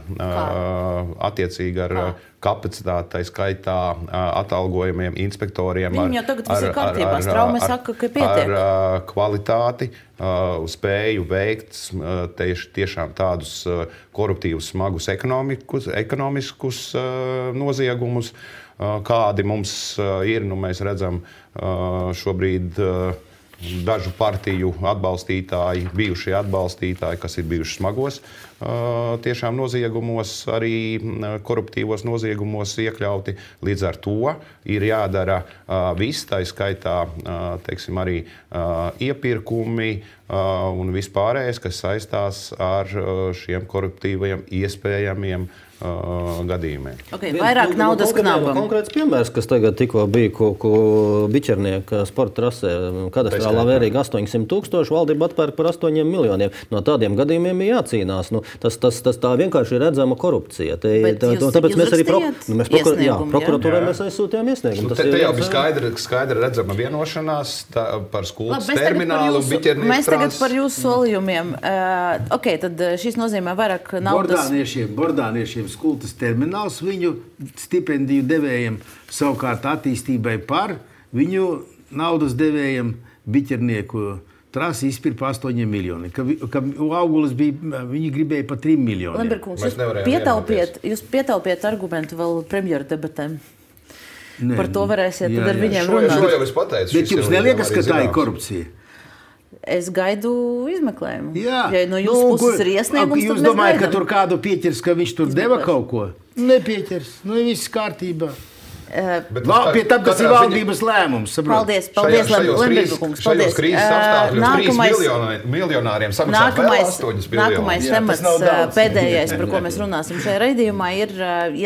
attiecīgi ar kapacitāti, tai skaitā atalgojumiem, inspektoriem. Viņam jau tagad viss ir kārtībā. Straume saka, ka pietiek. Ar kvalitāti, spēju veikt tiešām tādus koruptīvus, smagus ekonomiskus noziegumus, kādi mums ir. Mēs redzam šobrīd dažu partiju atbalstītāji, bijušie atbalstītāji, kas ir bijuši smagos tiešām noziegumos, arī koruptīvos noziegumos iekļauti. Līdz ar to ir jādara viss, tā skaitā arī iepirkumi un vispārējais, kas saistās ar šiem koruptīviem iespējamiem gadījumiem. Okay, vairāk naudas knabam. Konkrēts piemērs, kas tagad tikko bija Biķernieka sporta trasē, kadastrālā vērīga 800 000, valdība atpērk par 8 miljoniem. No tādiem gadījumiem ir jācīnās. Tas tā vienkārši ir redzama korupcija. Tāpēc mēs arī prokuratūrai mēs aizsūtījām iesniegumu. Te jau bija skaidra redzama vienošanās par skultas terminālu Biķernieka mēs tagad par jūsu solījumiem. Tad šis nozīmē vairāk naudas. Bordāniešiem skultas termināls viņu stipendiju devējiem, savukārt attīstībai par viņu naudas devējiem Biķernieku trasi izpirka 8 miljoni. Ka Augulis bija, viņi gribēja pa 3 miljoni. Lemberkungs, jūs pietaupiet argumentu vēl premjeru debatēm. Par to varēsiet tad ar viņiem runāt. Šo jau es pateicu. Bet jums neliekas, ka tā ir korupcija? Es gaidu izmeklējumu. Jā. Ja no jūsu puses ir iesniegums, jūs domājat, ka tur kādu pieķers, ka viņš tur deva kaut ko? Nepieķers. Viss kārtībā. Pie tam tas ir valdības lēmums. Paldies, Lemberga kungs. Šajos krīzes apstākļos 3 miljonāriem samaksāt vēl 8 miljonus. Nākamais temats, pēdējais, par ko mēs runāsim šajā raidījumā, ir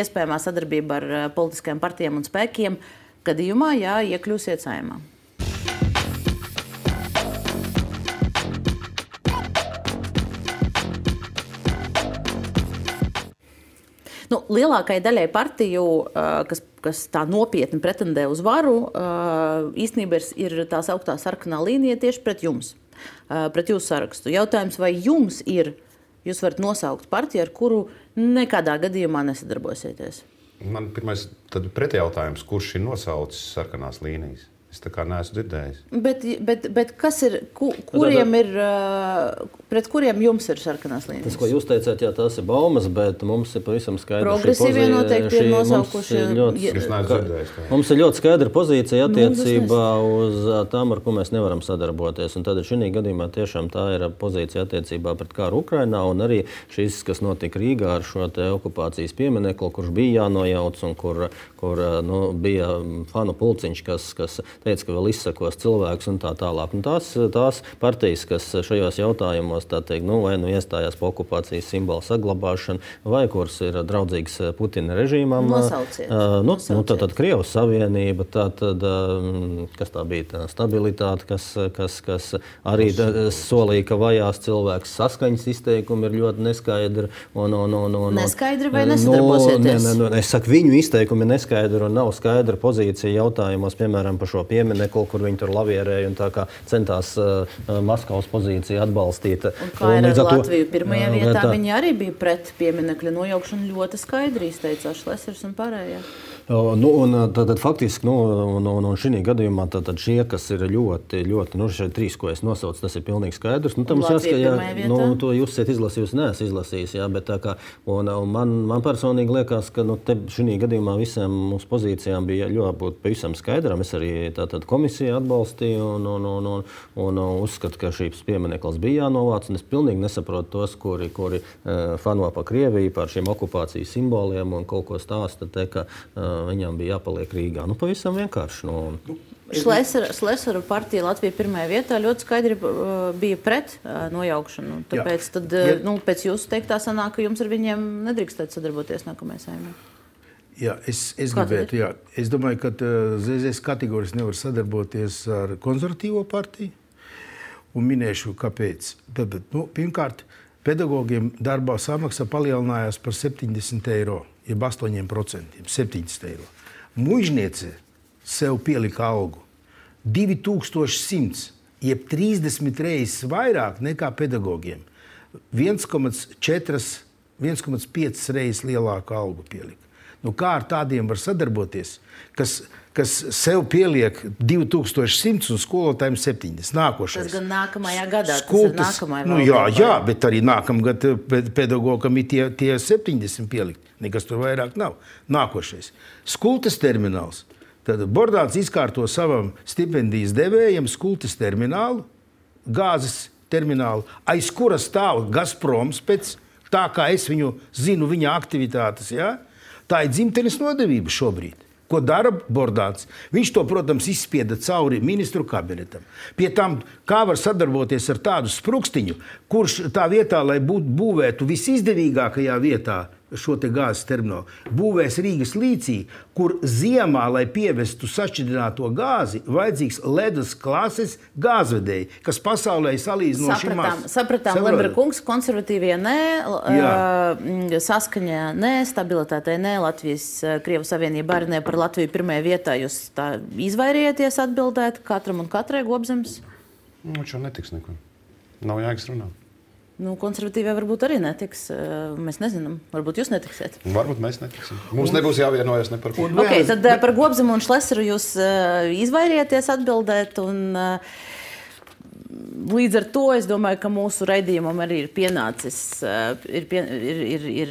iespējamā sadarbība ar politiskajiem partijiem un spēkiem, gadījumā, ja iekļūsiet Saeimā. Lielākai daļai partiju, kas tā nopietni pretendē uz varu, īstenībā ir tā sauktā sarkanā līnija tieši pret jums, pret jūsu sarakstu. Jautājums, vai jums jūs varat nosaukt partiju, ar kuru nekādā gadījumā nesadarbosieties? Man pirmais pretjautājums, kurš ir nosaucis sarkanās līnijas? Es tā kā neesmu dzirdējis. Bet kas ir, kuriem ir, pret kuriem jums ir sarkanās līnijas? Tas, ko jūs teicāt, jā, tās ir baumas, bet mums ir pavisam skaidra progresīvie noteikti ir nosaukuši. Mums ir ļoti skaidra pozīcija attiecībā uz tām, ar ko mēs nevaram sadarboties. Un tad šī gadījumā tiešām tā ir pozīcija attiecībā pret kāru Ukrainā un arī šis, kas notika Rīgā ar šo te okupācijas pieminekli, kurš bija jānojauc un kur bija fanu pulciņš, kas teica, ka vēl izsakos cilvēks un tā tālāk. Un tās partijas, kas šajos jautājumos vai iestājās par okupācijas simbolu saglabāšanu, vai kuras ir draudzīgas Putina režīmam. Nosauciet. Tad Krievijas Savienība, kas tā bija tā stabilitāte, kas arī solīja, ka vajās cilvēks, saskaņas izteikumi ir ļoti neskaidri. Neskaidri vai nesadarbosieties? Es saku, viņu izteikumi ir neskaidri un nav skaidra pozīcija jautājumos, piemēram, par šo pieminekli, kur viņi tur lavierēja un tā kā centās Maskavas pozīciju atbalstīt. Un kā ir ar Latviju? Pirmajā vietā viņi arī bija pret pieminekļa nojaukšanu, ļoti skaidri izteicās Šlesers un pārējie. Tad faktiski, šī gadījumā šie, kas ir ļoti, šeit 3, ko es nosaucu, tas ir pilnīgi skaidrs. Tam to jūs esat izlasījusi, neesat izlasījis, jā, bet tā kā, man personīgi liekas, ka šī gadījumā visiem mūsu pozīcijām bija jābūt pavisam skaidram. Es arī komisiju atbalstīju un uzskatu, ka šīs piemineklis bija jānovāc, un es pilnīgi nesaprotu tos, kuri fano par Krieviju, par šiem okupācijas simboliem un kaut ko stāsta, ka viņam bija jāpaliek Rīgā. Pavisam vienkārši. Šlesera partija Latvija pirmajā vietā ļoti skaidri bija pret nojaukšanu. Tāpēc pēc jūsu teiktā sanāk, ka jums ar viņiem nedrīkstētu sadarboties nākamajā Saeimā. Jā, es gribētu, jā. Es domāju, ka ZZS kategorijas nevar sadarboties ar konservatīvo partiju. Un minēšu, kāpēc. Pirmkārt, pedagogiem darbā samaksa palielinājās par 70 eiro, jeb 8%, 70 eiro. Muižniece sev pielika algu 2100, jeb 30 reizes vairāk nekā pedagogiem. 1,5 reizes lielāku algu pielika. Kā ar tādiem var sadarboties, kas sev pieliek 2100 un skolotājiem 70. Nākošais. Tas gan nākamajā gadā, tas ir nākamajā valdībā. Jā, bet arī nākamgad pedagogam ir tie 70 pielikt. Nekas tur vairāk nav. Nākošais. Skultes termināls. Tad Bordāns izkārto savam stipendijas devējiem skultes terminālu, gāzes terminālu, aiz kura stāv Gazproms pēc tā, kā es viņu zinu, viņa aktivitātes, jā? Tā ir dzimtenes nodevība šobrīd. Ko dara Bordāns? Viņš to, protams, izspieda cauri ministru kabinetam. Pie tam, kā var sadarboties ar tādu sprukstiņu, kurš tā vietā, lai būvētu visizdevīgākajā vietā šo te gāzes terminālu, būvēs Rīgas līcī, kur ziemā, lai pievestu sašķidrināto gāzi, vajadzīgs ledus klases gāzvedēji, kas pasaulē salīdzinoši maz. Sapratām, Lemberga kungs, konservatīvie nē, saskaņā nē, stabilitātei nē, Latvijas Krievijas Savienība arī nē, par Latviju pirmajā vietā. Jūs tā izvairījieties atbildēt katram un katrai Gobzems? Šo netiks neko. Nav jēgas runāt. Konservatīvie varbūt arī netiks. Mēs nezinām. Varbūt jūs netiksiet. Varbūt mēs netiksim. Mums nebūs jāvienojas ne par ko. Okay, tad par Gobzemu un Šleseru jūs izvairieties atbildēt. Un, līdz ar to es domāju, ka mūsu raidījumam arī ir pienācis, ir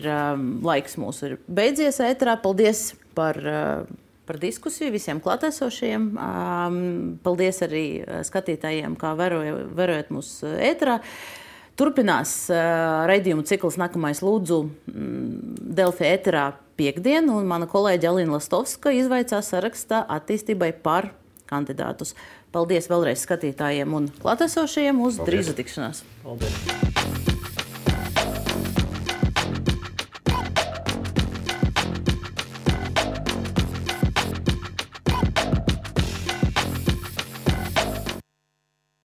laiks mūsu ir beidzies ēterā. Paldies par diskusiju visiem klātesošajiem. Paldies arī skatītājiem, kā vērojat mūsu ēterā. Turpinās raidījumu cikls Nākamais lūdzu Delfi ēterā piektdien, un mana kolēģe Alina Lastovska izvaicās sarakstā attīstībai par kandidātus. Paldies vēlreiz skatītājiem un klātesošajiem uz drīzu tikšanās. Paldies!